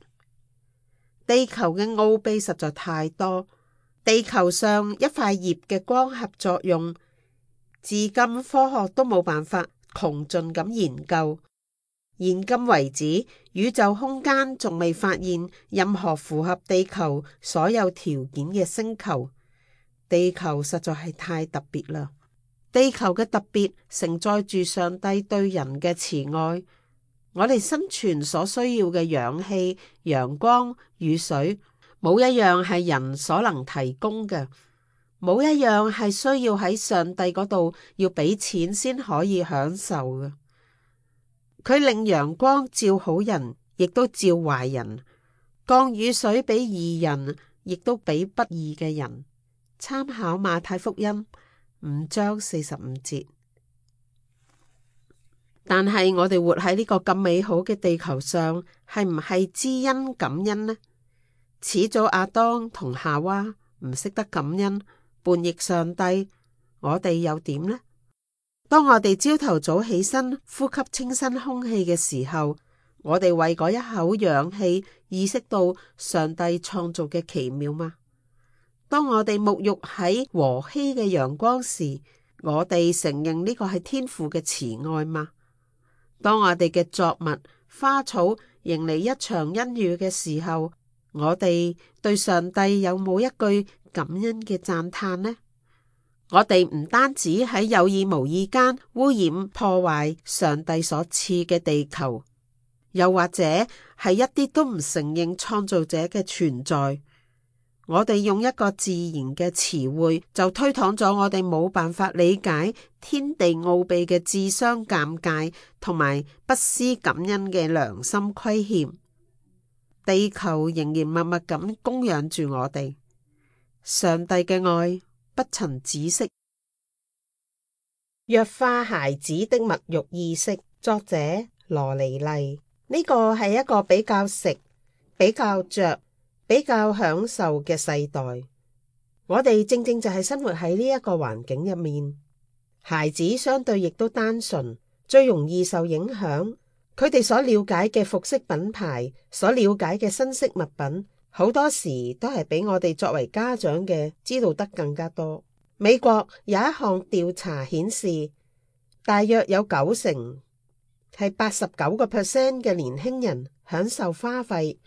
地球嘅奧秘實在太多。地球上一塊葉嘅光合作用，至今科學都冇辦法窮盡咁研究。現今為止，宇宙空間仲未發現任何符合地球所有條件嘅星球。地球實在係太特別啦！地球嘅特別承載住上帝對人嘅慈愛。我哋生存所需要嘅氧氣、陽光、雨水，冇一樣係人所能提供嘅，冇一樣係需要喺上帝嗰度要俾錢先可以享受嘅。佢令陽光照好人，亦都照壞人；降雨水俾義人，亦都俾不義嘅人。參考馬太福音5章45節。但係我哋活喺呢個咁美好嘅地球上，係唔係知恩感恩呢？始祖亞當同夏娃唔識得感恩，叛逆上帝，我哋又點呢？當我哋朝頭早起身，呼吸清新空氣嘅時候，我哋為嗰一口氧氣意識到上帝創造嘅奇妙嗎？當我哋沐浴喺和煦嘅陽光時，我哋承認呢個係天父嘅慈愛嗎？當我哋嘅作物、花草迎嚟一場恩雨嘅時候，我哋對上帝有冇一句感恩嘅讚嘆呢？我哋唔單止喺有意無意間污染破壞上帝所賜嘅地球，又或者係一啲都唔承認創造者嘅存在。我哋用一個自然嘅詞彙就推搪咗我哋冇辦法理解天地奧秘嘅自相尷尬同埋不思感恩嘅良心虧欠。地球仍然默默咁供養住我哋，上帝嘅愛不曾止息。弱化孩子的物慾意識，作者羅尼麗。呢個係一個比較食、比較着、比較享受嘅世代。我哋正正就係生活喺呢一個環境入面。孩子相對亦都單純，最容易受影響。佢哋所了解嘅服飾品牌，所了解嘅新式物品，好多時都係比我哋作為家長嘅知道得更加多。美國有一項調查顯示，大約有90%係89% 嘅年輕人享受花費。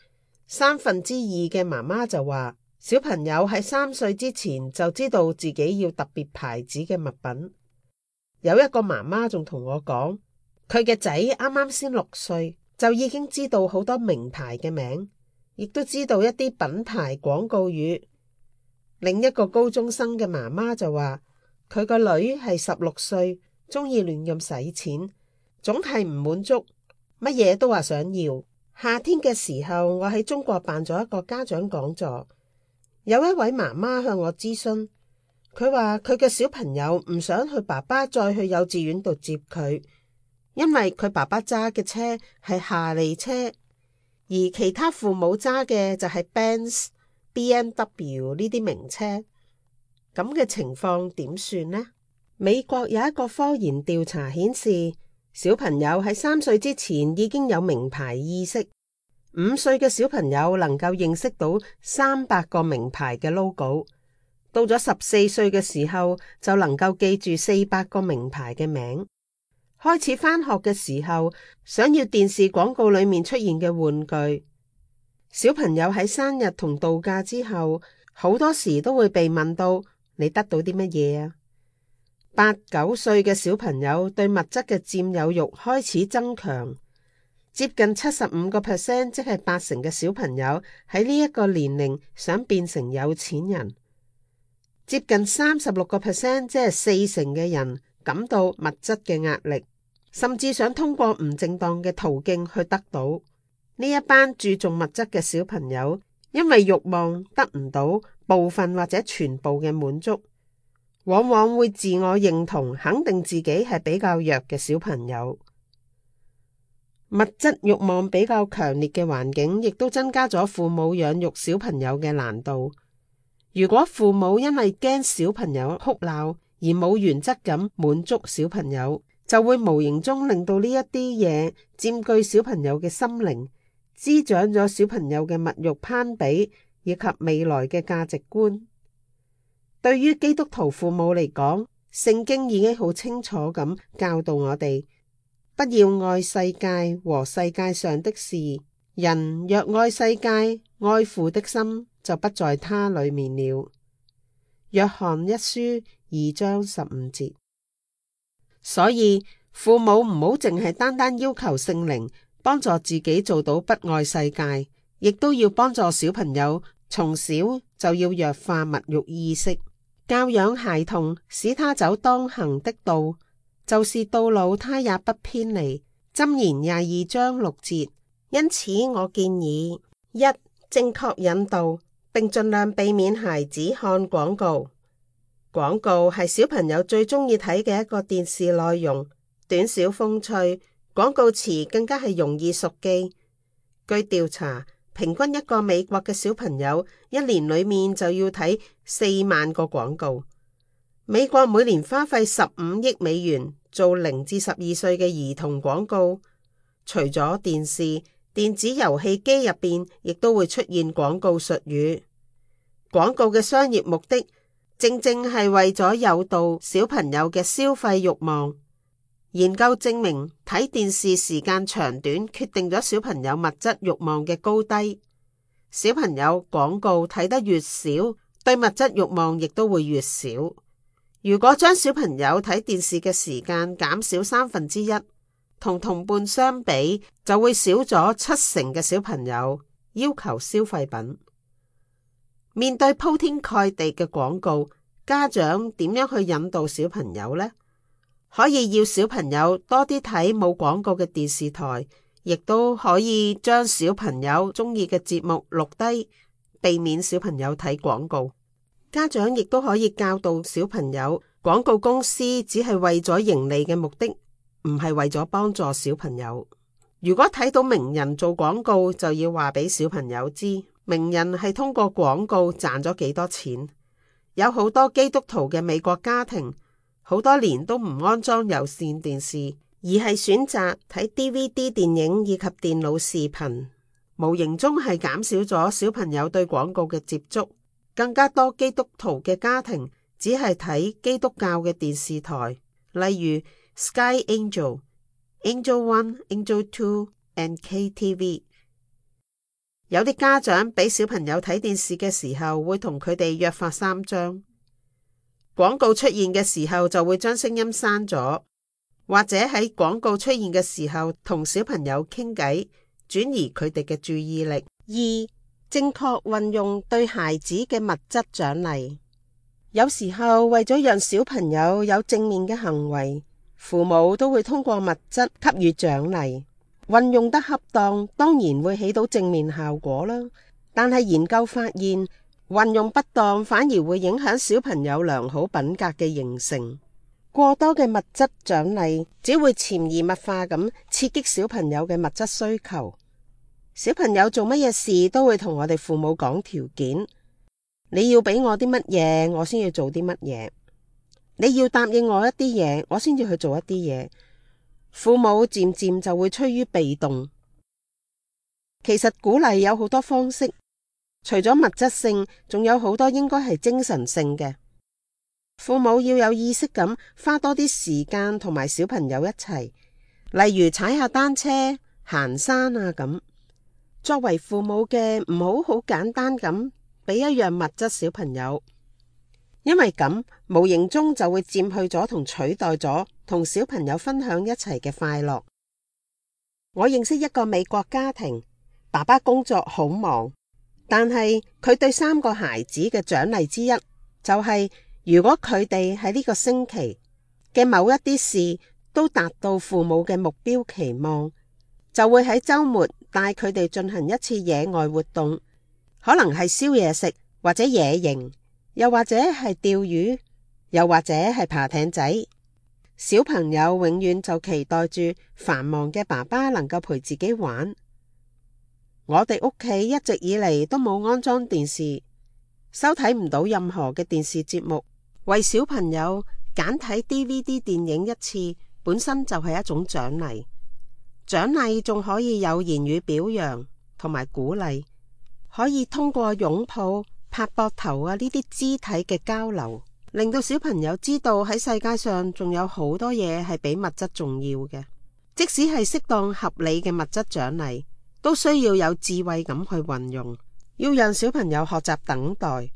2/3嘅媽媽就話，小朋友喺3歲之前就知道自己要特別牌子嘅物品。有一個媽媽仲同我講，佢嘅仔啱啱先6歲，就已經知道好多名牌嘅名，亦都知道一啲品牌廣告語。另一個高中生嘅媽媽就話，佢個女係16歲，中意亂咁使錢，總係唔滿足，乜嘢都話想要。夏天嘅時候，我喺中國辦咗一個家長講座，有一位媽媽向我諮詢，佢話佢嘅小朋友唔想佢爸爸再去幼稚園度接佢，因為佢爸爸揸嘅車係夏利車，而其他父母揸嘅就係 Benz、BMW 呢啲名車。咁嘅情況點算呢？美國有一個科研調查顯示，小朋友喺3歲之前已經有名牌意識，5歲嘅小朋友能夠認識到300個名牌嘅 logo， 到咗14歲嘅時候就能夠記住400個名牌嘅名。開始返學嘅時候，想要電視廣告裏面出現嘅玩具。小朋友喺生日同度假之後，好多時都會被問到你得到啲乜嘢啊？8、9歲嘅小朋友對物質嘅佔有欲開始增強，接近75%，即係80%嘅小朋友喺呢一個年齡想變成有錢人，接近36%，即係40%嘅人感到物質嘅壓力，甚至想通過唔正當嘅途徑去得到。呢一班注重物質嘅小朋友，因為慾望得唔到部分或者全部嘅滿足，往往會自我認同肯定自己係比較弱嘅小朋友。物質慾望比較強烈嘅環境，亦都增加咗父母養育小朋友嘅難度。如果父母因為驚小朋友哭鬧而冇原則咁滿足小朋友，就會無形中令到呢一啲嘢佔據小朋友嘅心靈，滋長咗小朋友嘅物慾攀比以及未來嘅價值觀。對於基督徒父母嚟講，聖經已經好清楚咁教導我哋，不要愛世界和世界上的事。人若愛世界，愛父的心就不在他裏面了。約翰一書2章15節。所以父母唔好淨係單單要求聖靈幫助自己做到不愛世界，亦都要幫助小朋友從小就要弱化物慾意識。教養孩童，使他走當行的道，就是到老他也不偏離。箴言22章6節。因此我建議： 1. 正確引導，並盡量避免孩子看廣告；廣告係小朋友最鍾意睇嘅一個電視內容，短小風趣，廣告詞更加係容易熟記。據調查，平均一個美國嘅小朋友一年裏面就要睇4萬個廣告。美國每年花費15億美元做0至12歲嘅兒童廣告。除咗電視，電子遊戲機入邊亦都會出現廣告術語。廣告嘅商業目的正正係為咗誘導小朋友嘅消費慾望。研究證明，睇電視時間長短決定咗小朋友物質慾望嘅高低。小朋友廣告睇得越少，對物質慾望亦都會越少。如果將小朋友睇電視嘅時間減少1/3，同同伴相比，就會少咗70%嘅小朋友要求消費品。面對鋪天蓋地嘅廣告，家長點樣去引導小朋友呢？可以要小朋友多啲睇冇廣告嘅電視台，亦都可以將小朋友中意嘅節目錄低，避免小朋友睇廣告。家長亦都可以教導小朋友，廣告公司只係為咗盈利嘅目的，唔係為咗幫助小朋友。如果睇到名人做廣告，就要話俾小朋友知，名人係通過廣告賺咗幾多錢。有好多基督徒嘅美國家庭，好多年都唔安裝有線電視，而係選擇睇 DVD 電影以及電腦視頻，無形中係減少咗小朋友對廣告嘅接觸。更加多基督徒嘅家庭只係睇基督教嘅電視台，例如 Sky Angel、Angel One、Angel Two、and KTV。有啲家長俾小朋友睇電視嘅時候，會同佢哋約法三章。廣告出現嘅時候就會將聲音閂咗，或者喺廣告出現嘅時候同小朋友傾偈，轉移佢哋嘅注意力。2、正確運用對孩子嘅物質獎勵。有時候為咗讓小朋友有正面嘅行為，父母都會通過物質給予獎勵。運用得恰當，當然會起到正面效果啦。但係研究發現，運用不當反而會影響小朋友良好品格嘅形成。過多嘅物質獎勵只會潛移默化咁刺激小朋友嘅物質需求。小朋友做乜嘢事都會同我哋父母講條件，你要俾我啲乜嘢，我先要做啲乜嘢。你要答應我一啲嘢，我先至去做一啲嘢。父母漸漸就會趨於被動。其實鼓勵有好多方式，除咗物質性，仲有好多應該係精神性嘅。父母要有意識咁花多啲時間同埋小朋友一齊，例如踩下單車、行山啊咁。作為父母嘅，唔好好簡單咁俾一樣物質小朋友，因為咁無形中就會佔去咗同取代咗同小朋友分享一齊嘅快樂。我認識一個美國家庭，爸爸工作好忙，但係佢對3個孩子嘅獎勵之一就係，如果佢哋喺呢個星期嘅某一啲事都達到父母嘅目標期望，就會喺週末帶佢哋進行一次野外活動，可能係燒嘢食，或者野營，又或者係釣魚，又或者係爬艇仔。小朋友永遠就期待住繁忙嘅爸爸能夠陪自己玩。我哋屋企一直以嚟都冇安裝電視，收睇唔到任何嘅電視節目。為小朋友揀睇 DVD 電影一次，本身就係一種獎勵。獎勵仲可以有言語表揚同埋鼓勵，可以通過擁抱、拍膊頭啊呢啲肢體嘅交流，令到小朋友知道喺世界上仲有好多嘢係比物質重要嘅。即使係適當合理嘅物質獎勵，都需要有智慧咁去運用，要讓小朋友學習等待。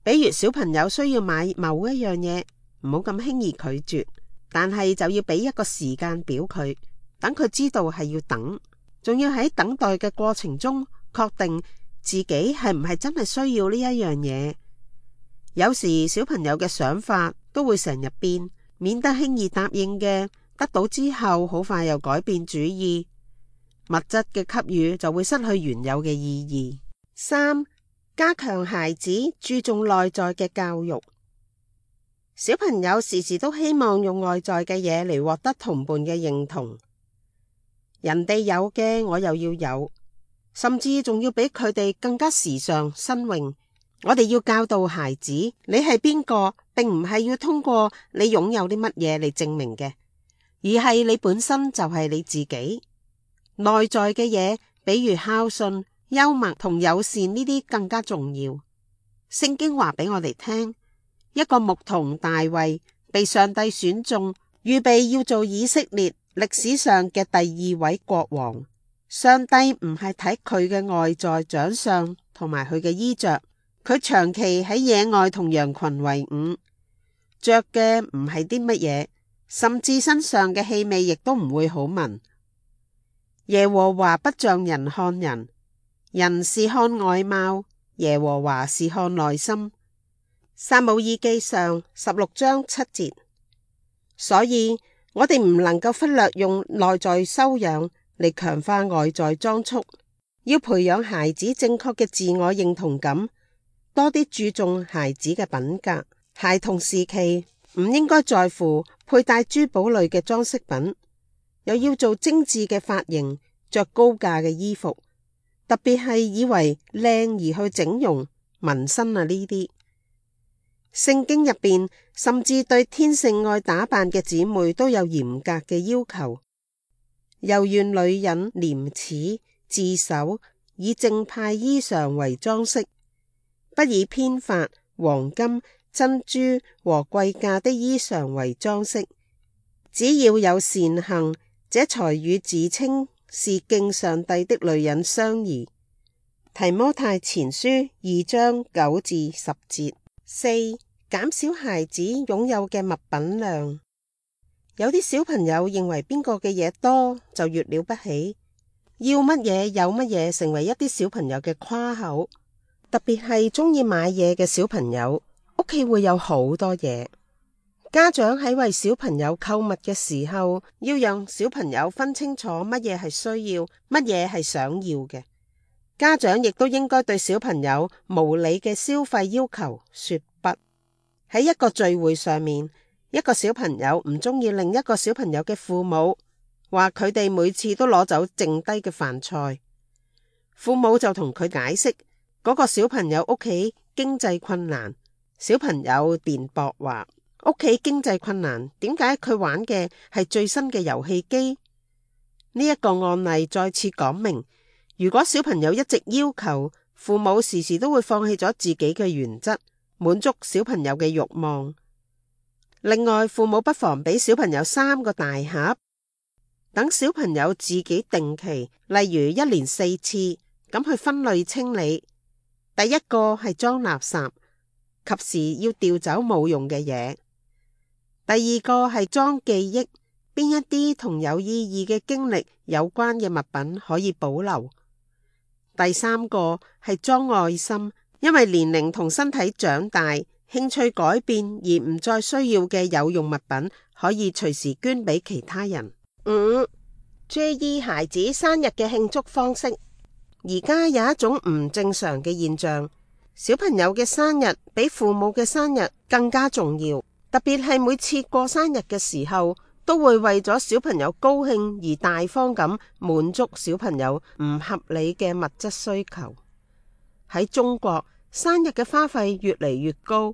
比如小朋友需要買某一樣嘢，唔好咁輕易拒絕，但係就要俾一個時間表佢，等佢知道係要等，仲要喺等待嘅過程中確定自己係唔係真係需要呢一樣嘢。有時小朋友嘅想法都會成日變，免得輕易答應嘅，得到之後好快又改變主意，物質嘅給予就會失去原有嘅意義。3、加強孩子注重內在嘅教育。小朋友時時都希望用外在嘅嘢嚟獲得同伴嘅認同，人哋有嘅我又要有，甚至仲要比佢哋更加時尚新穎。我哋要教導孩子，你係邊個，並唔係要通過你擁有啲乜嘢嚟證明嘅，而係你本身就係你自己。內在嘅嘢，比如孝順、幽默同友善呢啲更加重要。聖經話俾我哋聽，一個牧童大衛被上帝選中，預備要做以色列歷史上嘅第二位國王。上帝唔係睇佢嘅外在長相同埋佢嘅衣着，佢長期喺野外同羊群為伍，着嘅唔係啲乜嘢，甚至身上嘅氣味亦都唔會好聞。耶和華不像人看人，人是看外貌，耶和華是看內心。撒母耳記上16章7節。所以我哋唔能夠忽略用內在修養嚟強化外在裝束，要培養孩子正確嘅自我認同感，多啲注重孩子嘅品格。孩童時期唔應該在乎佩戴珠寶類嘅裝飾品，又要做精緻嘅髮型，着高價嘅衣服，特別係以為靚而去整容、紋身啊呢啲。聖經入邊甚至對天性愛打扮嘅姊妹都有嚴格嘅要求，又願女人廉恥自守，以正派衣裳為裝飾，不以編髮、黃金、珍珠和貴價的衣裳為裝飾，只要有善行，這才與自稱是敬上帝的女人相宜。提摩太前書2章9至10節。4. 減少孩子擁有嘅物品量。有啲小朋友認為邊個嘅嘢多就越了不起，要乜嘢有乜嘢，成為一啲小朋友嘅誇口。特別係中意買嘢嘅小朋友，屋企會有好多嘢。家長喺為小朋友購物嘅時候，要讓小朋友分清楚乜嘢係需要，乜嘢係想要嘅。家長亦都應該對小朋友無理嘅消費要求說不。喺一個聚會上面，一個小朋友唔中意另一個小朋友嘅父母，話佢哋每次都攞走剩低嘅飯菜。父母就同佢解釋，嗰個小朋友屋企經濟困難。小朋友辯駁話，屋企經濟困難，點解佢玩嘅係最新嘅遊戲機？呢一個案例再次講明，如果小朋友一直要求，父母時時都會放棄咗自己嘅原則，滿足小朋友嘅慾望。另外，父母不妨俾小朋友3個大盒，等小朋友自己定期，例如1年4次咁去分類清理。第一個係裝垃圾，及時要調走冇用嘅嘢。第二個係裝記憶，邊一啲同有意義嘅經歷有關嘅物品可以保留。第三個係裝愛心，因為年齡同身體長大，興趣改變而唔再需要嘅有用物品，可以隨時捐俾其他人。5. 注意孩子生日嘅慶祝方式。而家有一種唔正常嘅現象，小朋友嘅生日比父母嘅生日更加重要，特別係每次過生日嘅時候，都會為咗小朋友高興而大方咁滿足小朋友唔合理嘅物質需求。喺中國，生日嘅花費越嚟越高，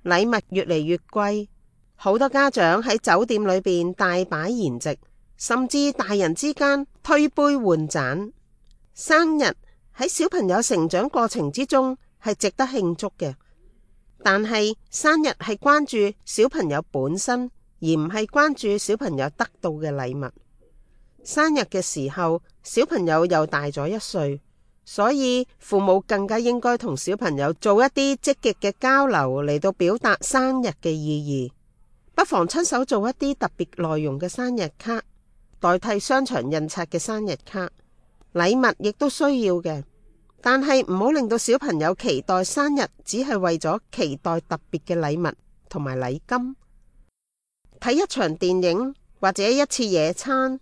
禮物越嚟越貴，好多家長喺酒店裏邊大擺筵席，甚至大人之間推杯換盞。生日喺小朋友成長過程之中係值得慶祝嘅，但係生日係關注小朋友本身，而唔係關注小朋友得到嘅禮物。生日嘅時候，小朋友又大咗1歲，所以父母更加應該同小朋友做一啲積極嘅交流嚟到表達生日嘅意義。不妨親手做一啲特別內容嘅生日卡，代替商場印刷嘅生日卡。禮物亦都需要嘅，但係唔好令到小朋友期待生日只係為咗期待特別嘅禮物同埋禮金。睇一場電影或者一次野餐，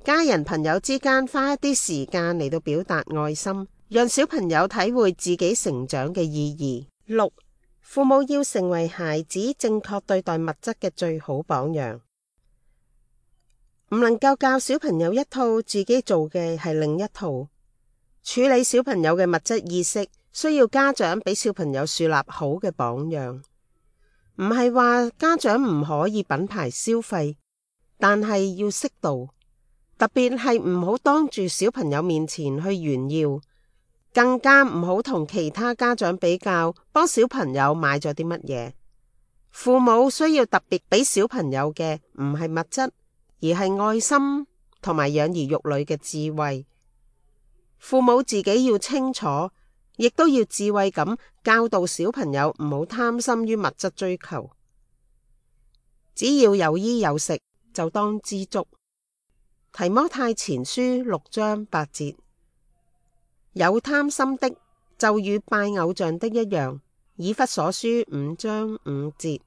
家人朋友之間花一啲時間嚟到表達愛心，讓小朋友體會自己成長嘅意義。6. 父母要成為孩子正確對待物質嘅最好榜樣，唔能夠教小朋友一套，自己做嘅係另一套。處理小朋友嘅物質意識，需要家長俾小朋友樹立好嘅榜樣。唔係話家長唔可以品牌消費，但係要適度，特別係唔好當住小朋友面前去炫耀，更加唔好同其他家長比較，幫小朋友買咗啲乜嘢。父母需要特別俾小朋友嘅唔係物質，而係愛心同埋養兒育女嘅智慧。父母自己要清楚，亦都要智慧咁教導小朋友唔好貪心於物質追求。只要有衣有食，就當知足。提摩太前書6章8節，有貪心的就與拜偶像的一樣。以弗所書5章5節，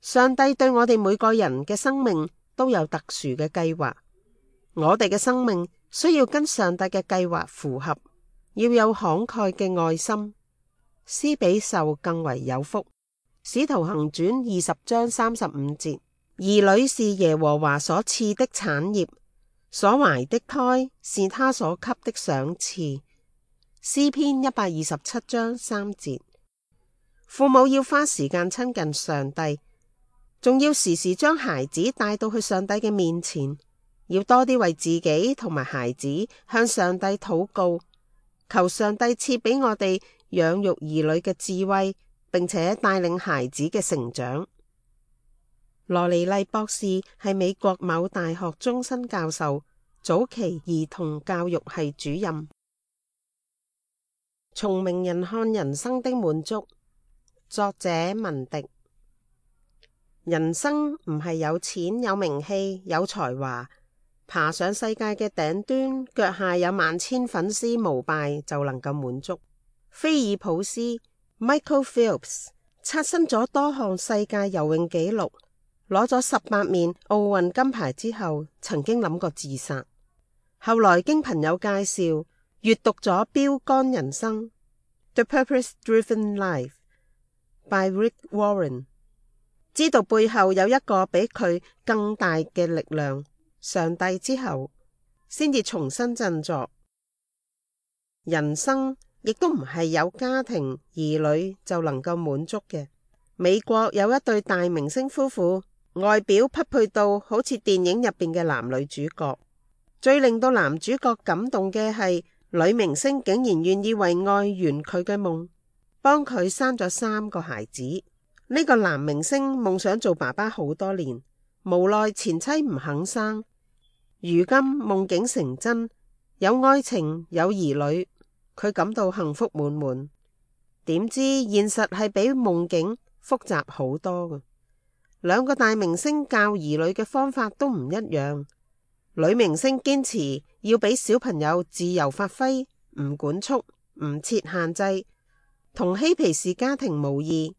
上帝對我哋每個人嘅生命都有特殊嘅計劃，我哋嘅生命需要跟上帝嘅計劃符合，要有慷慨嘅愛心，施比受更為有福。使徒行傳20章35節，兒女是耶和華所賜的產業，所懷的胎是他所給的賞賜。詩篇127章3節，父母要花時間親近上帝，仲要時時將孩子帶到去上帝嘅面前。要多啲為自己同埋孩子向上帝禱告，求上帝賜俾我哋養育兒女嘅智慧，並且帶領孩子嘅成長。羅尼麗博士係美國某大學終身教授，早期兒童教育系主任。從名人看人生的滿足，作者文迪。人生唔係有錢、有名氣、有才華，爬上世界嘅頂端，腳下有萬千粉絲膜拜就能夠滿足。菲爾普斯 Michael Phelps 刷新咗多項世界游泳紀錄，攞咗18面奧運金牌之後，曾經諗過自殺。後來經朋友介紹，閱讀咗《標杆人生》The Purpose-Driven Life by Rick Warren， 知道背後有一個比佢更大嘅力量，上帝之後，先至重新振作。人生亦都唔係有家庭兒女就能夠滿足嘅。美國有一對大明星夫婦，外表匹配到好似電影入邊嘅男女主角。最令到男主角感動嘅係，女明星竟然願意為愛圓佢嘅夢，幫佢生咗3個孩子。呢個男明星夢想做爸爸好多年，無奈前妻唔肯生。如今夢境成真，有愛情，有兒女，佢感到幸福滿滿。點知現實係比夢境複雜好多嘅。2個大明星教兒女嘅方法都唔一樣。女明星堅持要俾小朋友自由發揮，唔管束，唔設限制，同嬉皮士家庭無異。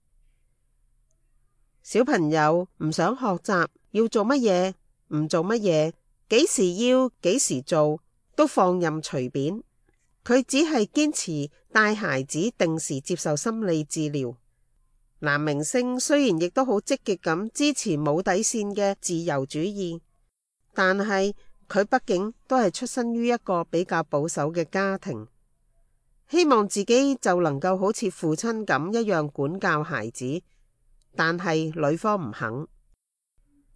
小朋友唔想學習，要做乜嘢唔做乜嘢，幾時要幾時做，都放任隨便。佢只係堅持帶孩子定時接受心理治療。男明星雖然亦都好積極咁支持冇底線嘅自由主義，但係佢畢竟都係出身於一個比較保守嘅家庭，希望自己就能夠好似父親咁一樣管教孩子，但係女方唔肯。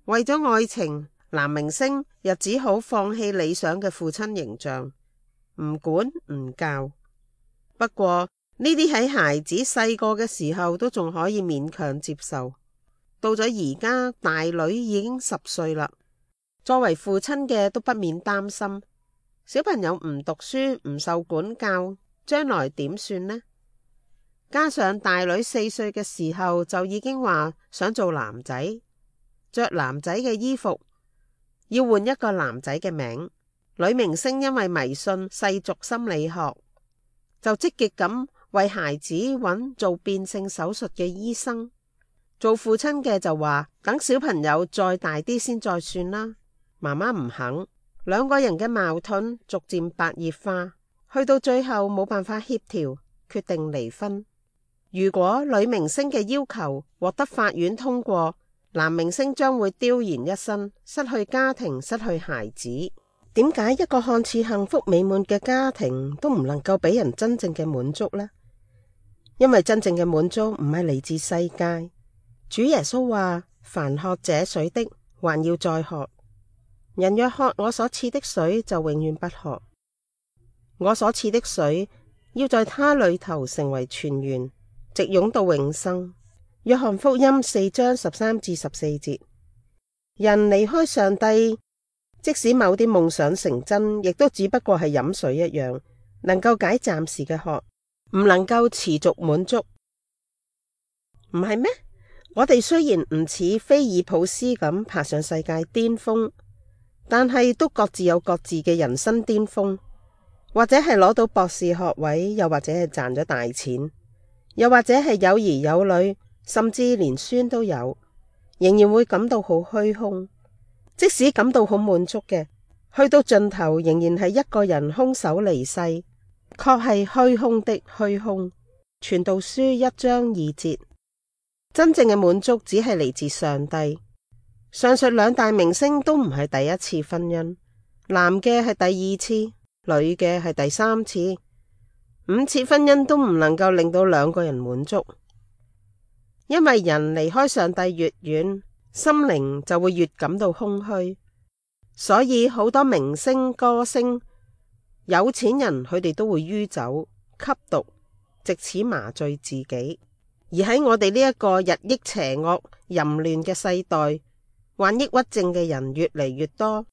為咗愛情，男明星又只好放棄理想嘅父親形象，唔管唔教。不過呢啲喺孩子細個嘅時候都仲可以勉強接受，到咗而家大女已經10歲啦，作為父親嘅都不免擔心，小朋友唔讀書唔受管教，將來點算呢？加上大女4歲嘅時候就已經話想做男仔，着男仔嘅衣服，要換一個男仔嘅名。女明星因為迷信世俗心理學，就積極咁為孩子揾做變性手術嘅醫生。做父親嘅就話等小朋友再大啲先再算啦。媽媽唔肯，2個人嘅矛盾逐漸白熱化，去到最後冇辦法協調，決定離婚。如果女明星嘅要求獲得法院通過，男明星將會丟然一身，失去家庭，失去孩子。點解一個看似幸福美滿嘅家庭都唔能夠俾人真正嘅滿足呢？因為真正嘅滿足唔係嚟自世界。主耶穌話：凡喝這水的，還要再喝；人若喝我所賜的水，就永遠不渴。我所賜的水，要在他裏頭成為泉源，直湧到永生。約翰福音4章13至14節。人離開上帝，即使某啲夢想成真，亦都只不過係飲水一樣，能夠解暫時嘅渴，唔能夠持續滿足，唔係咩？我哋雖然唔似菲爾普斯咁爬上世界巔峰，但係都各自有各自嘅人生巔峰，或者係攞到博士學位，又或者係賺咗大錢，又或者係有兒有女，甚至連孫都有，仍然會感到好虛空。即使感到好滿足嘅，去到盡頭仍然係一個人空手離世，確係虛空的虛空。傳道書1章2節。真正嘅滿足只係嚟自上帝。上述兩大明星都唔係第一次婚姻，男嘅係第二次，女嘅係第三次，5次婚姻都唔能夠令到兩個人滿足。因為人離開上帝越遠，心靈就會越感到空虛，所以好多明星、歌星、有錢人佢哋都會酗酒、吸毒，藉此麻醉自己。而喺我哋呢一個日益邪惡、淫亂嘅世代，患抑鬱症嘅人越嚟越多。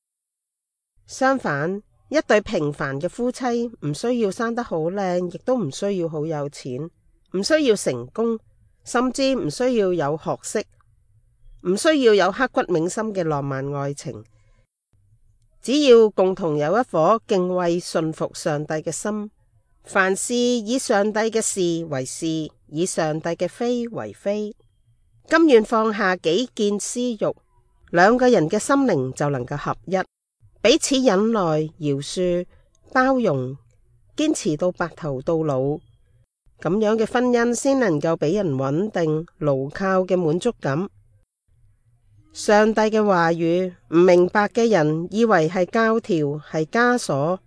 相反，一對平凡嘅夫妻唔需要生得好靚，亦都唔需要好有錢，唔需要成功，甚至唔需要有學識，唔需要有刻骨銘心嘅浪漫愛情，只要共同有一顆敬畏順服上帝嘅心，凡事以上帝嘅是為是，以上帝嘅非為非，甘願放下己見私欲，兩個人嘅心靈就能夠合一，彼此忍耐、饒恕、包容，堅持到白頭到老，咁樣嘅婚姻先能夠俾人穩定、牢靠嘅滿足感。上帝嘅話語，唔明白嘅人以為係教條、係枷鎖，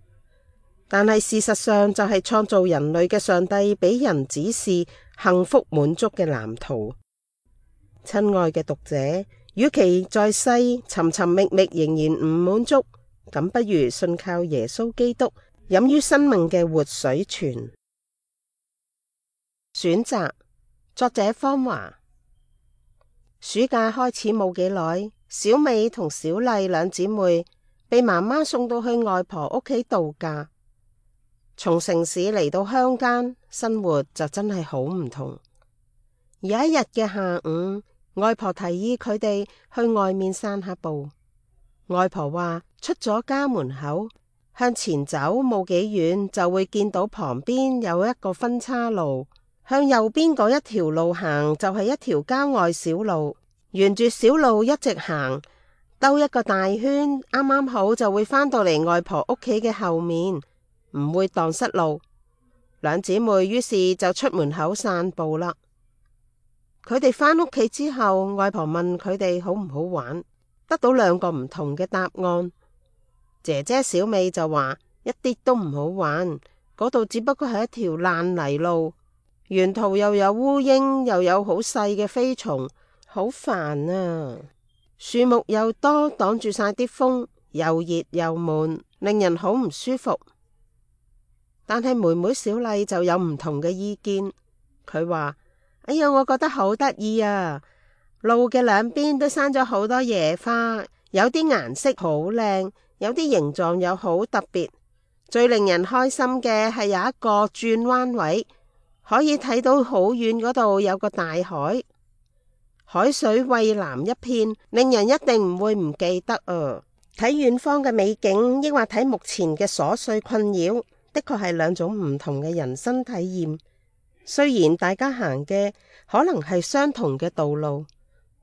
但係事實上就係創造人類嘅上帝俾人指示幸福滿足嘅藍圖。親愛嘅讀者，與其在世尋尋覓覓仍然唔滿足，咁不如信靠耶穌基督，飲於生命嘅活水泉。選擇，作者方華。暑假開始冇幾耐，小美同小麗兩姊妹被媽媽送到去外婆屋企度假。從城市嚟到鄉間，生活就真係好唔同。有一日嘅下午，外婆提議佢哋去外面散下步。外婆話，出咗家門口，向前走冇幾遠就會見到旁邊有一個分岔路，向右邊嗰一條路行就係一條郊外小路，沿住小路一直行，兜一個大圈，啱啱好就會返到嚟外婆屋企嘅後面，唔會蕩失路。兩姊妹於是就出門口散步啦。佢哋返屋企之後，外婆問佢哋好唔好玩，得到兩個唔同嘅答案。姐姐小美就話一啲都唔好玩，嗰度只不過係一條爛泥路，沿途又有烏蠅，又有好細嘅飛蟲，好煩啊！樹木又多，擋住晒啲風，又熱又悶，令人好唔舒服。但係妹妹小麗就有唔同嘅意見，佢話：哎呀，我覺得好得意啊！路嘅兩邊都生咗好多野花，有啲顏色好靚，有啲形狀又好特別。最令人開心嘅係有一個轉彎位，可以睇到好遠嗰度有個大海，海水蔚藍一片，令人一定唔會唔記得啊！睇遠方嘅美景，抑或睇目前嘅瑣碎困擾，的確係兩種唔同嘅人生體驗。雖然大家行嘅可能係相同嘅道路，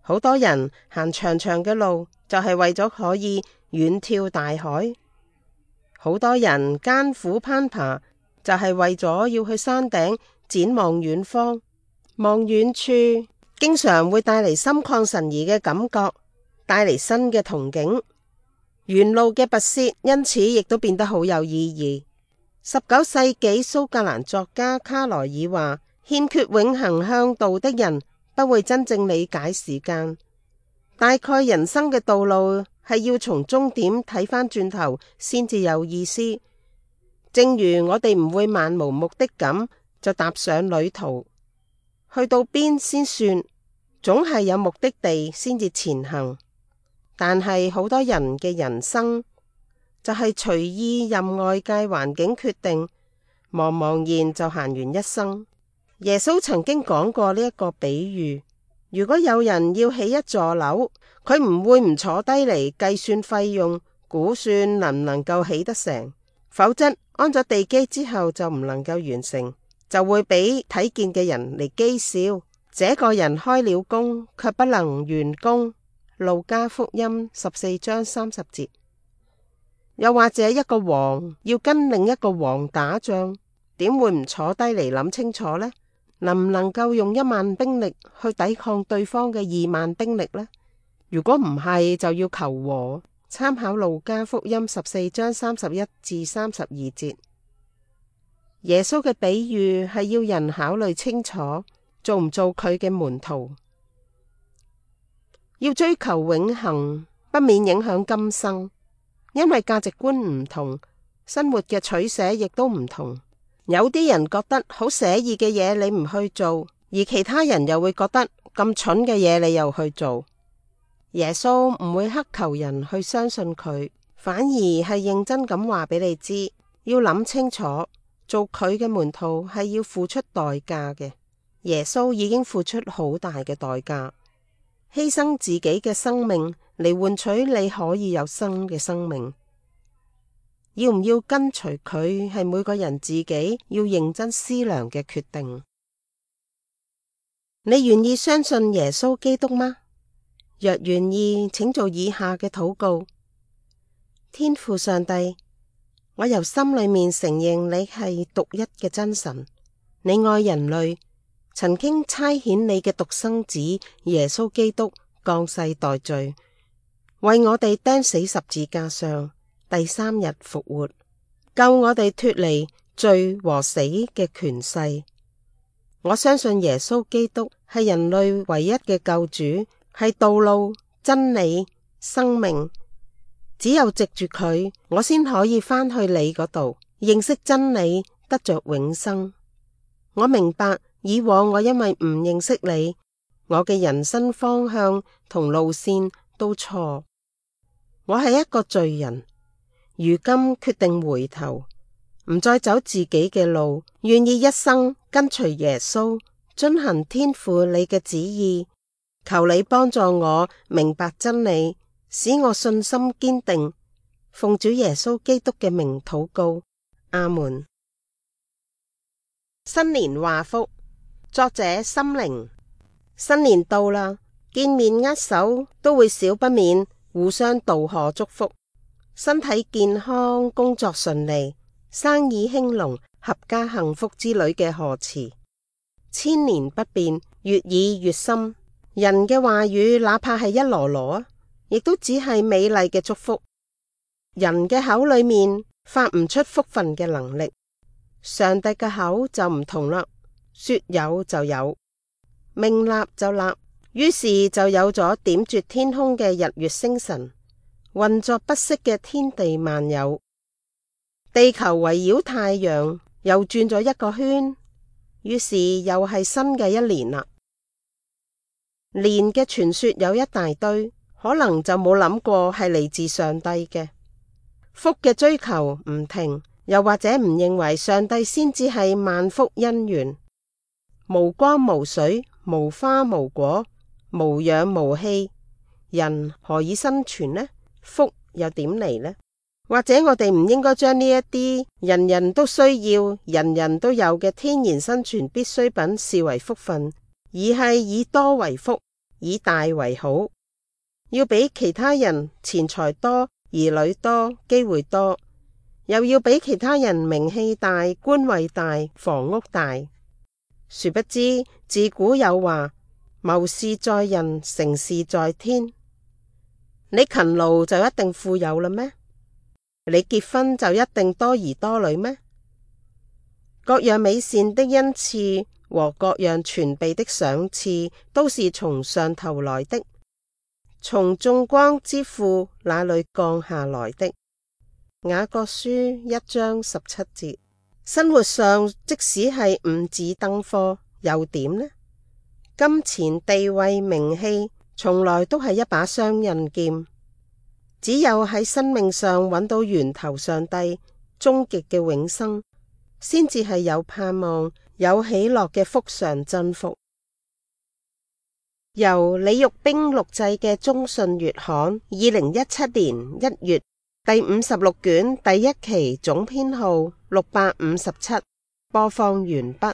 好多人行長長嘅路就係為咗可以遠眺大海，好多人艱苦攀爬就係為咗要去山頂展望遠方。望遠處經常會帶嚟心曠神怡嘅感覺，帶嚟新嘅憧憬。沿路嘅跋涉因此亦都變得好有意義。19世紀蘇格蘭作家卡萊爾話：欠缺永恆向導的人不會真正理解時間。大概人生嘅道路係要從終點睇返轉頭先至有意思。正如我哋唔會漫無目的咁就踏上旅途，去到邊先算，總係有目的地先至前行。但係好多人嘅人生就係隨意任外界環境決定，茫茫然就行完一生。耶穌曾經講過呢一個比喻：如果有人要起一座樓，佢唔會唔坐低嚟計算費用，估算能唔能夠起得成，否則安咗地基之後就唔能夠完成，就會俾睇見嘅人嚟譏笑。這個人開了工，卻不能完工。路加福音14章30節。又或者一個王要跟另一個王打仗，點會唔坐低嚟諗清楚呢？能唔能夠用1萬兵力去抵抗對方嘅2萬兵力呢？如果唔係，就要求和。參考路加福音14章31至32節。耶穌嘅比喻係要人考慮清楚，做唔做佢嘅門徒。要追求永恆，不免影響今生，因為價值觀唔同，生活嘅取捨亦都唔同。有啲人覺得好寫意嘅嘢你唔去做，而其他人又會覺得咁蠢嘅嘢你又去做。耶穌唔會乞求人去相信佢，反而係認真咁話俾你知，要諗清楚，做佢嘅門徒係要付出代價嘅。耶穌已經付出好大嘅代價，犧牲自己嘅生命嚟換取你可以有新嘅生命。要唔要跟隨佢，係每個人自己要認真思量嘅決定。你願意相信耶穌基督嗎？若願意，請做以下嘅禱告：天父上帝，我由心裏面承認你係獨一嘅真神，你愛人類，曾經差遣你嘅獨生子耶穌基督降世代罪，為我哋釘死十字架上，第3日復活，救我哋脫離罪和死嘅權勢。我相信耶穌基督係人類唯一嘅救主，係道路、真理、生命。只有藉住佢，我先可以返去你嗰度，認識真理，得着永生。我明白以往我因為唔認識你，我嘅人生方向同路線都錯。我係一個罪人，如今決定回頭，唔再走自己嘅路，願意一生跟隨耶穌，遵行天父你嘅旨意。求你幫助我明白真理，使我信心堅定。奉主耶穌基督嘅名禱告，阿門。新年話福，作者心靈。新年到啦，見面握手都會少不免互相道賀祝福，身體健康，工作順利，生意興隆，合家幸福之類嘅賀詞。千年不變，越議越深。人嘅話語哪怕係一籮籮，亦都只係美麗嘅祝福。人嘅口裏面發唔出福分嘅能力，上帝嘅口就唔同啦，說有就有，命立就立，於是就有咗點綴天空嘅日月星辰，運作不息嘅天地萬有。地球圍繞太陽又轉咗一個圈，於是又係新嘅一年啦。年嘅傳說有一大堆，可能就冇諗過係嚟自上帝嘅。福嘅追求唔停，又或者唔認為上帝先至係萬福因緣。無光無水，無花無果，無氧無氣，人何以生存呢？福又點嚟呢？或者我哋唔應該將呢一啲人人都需要、人人都有嘅天然生存必需品視為福分，而係以多為福，以大為好。要比其他人錢財多、兒女多、機會多，又要比其他人名氣大、官位大、房屋大。殊不知自古有話，謀事在人，成事在天。你勤勞就一定富有啦咩？你結婚就一定多兒多女咩？各樣美善的恩賜和各樣全備的賞賜，都是從上頭來的，從眾光之父那裏降下來的。雅各書1章17節。生活上即使係五子登科，又點呢？金錢、地位、名氣，從來都係一把雙刃劍。只有喺生命上揾到源頭上帝終極嘅永生，先至係有盼望、有喜樂嘅福上真福。由李玉冰錄製嘅中信月刊2017年1月第56卷第1期總編號657，播放完畢。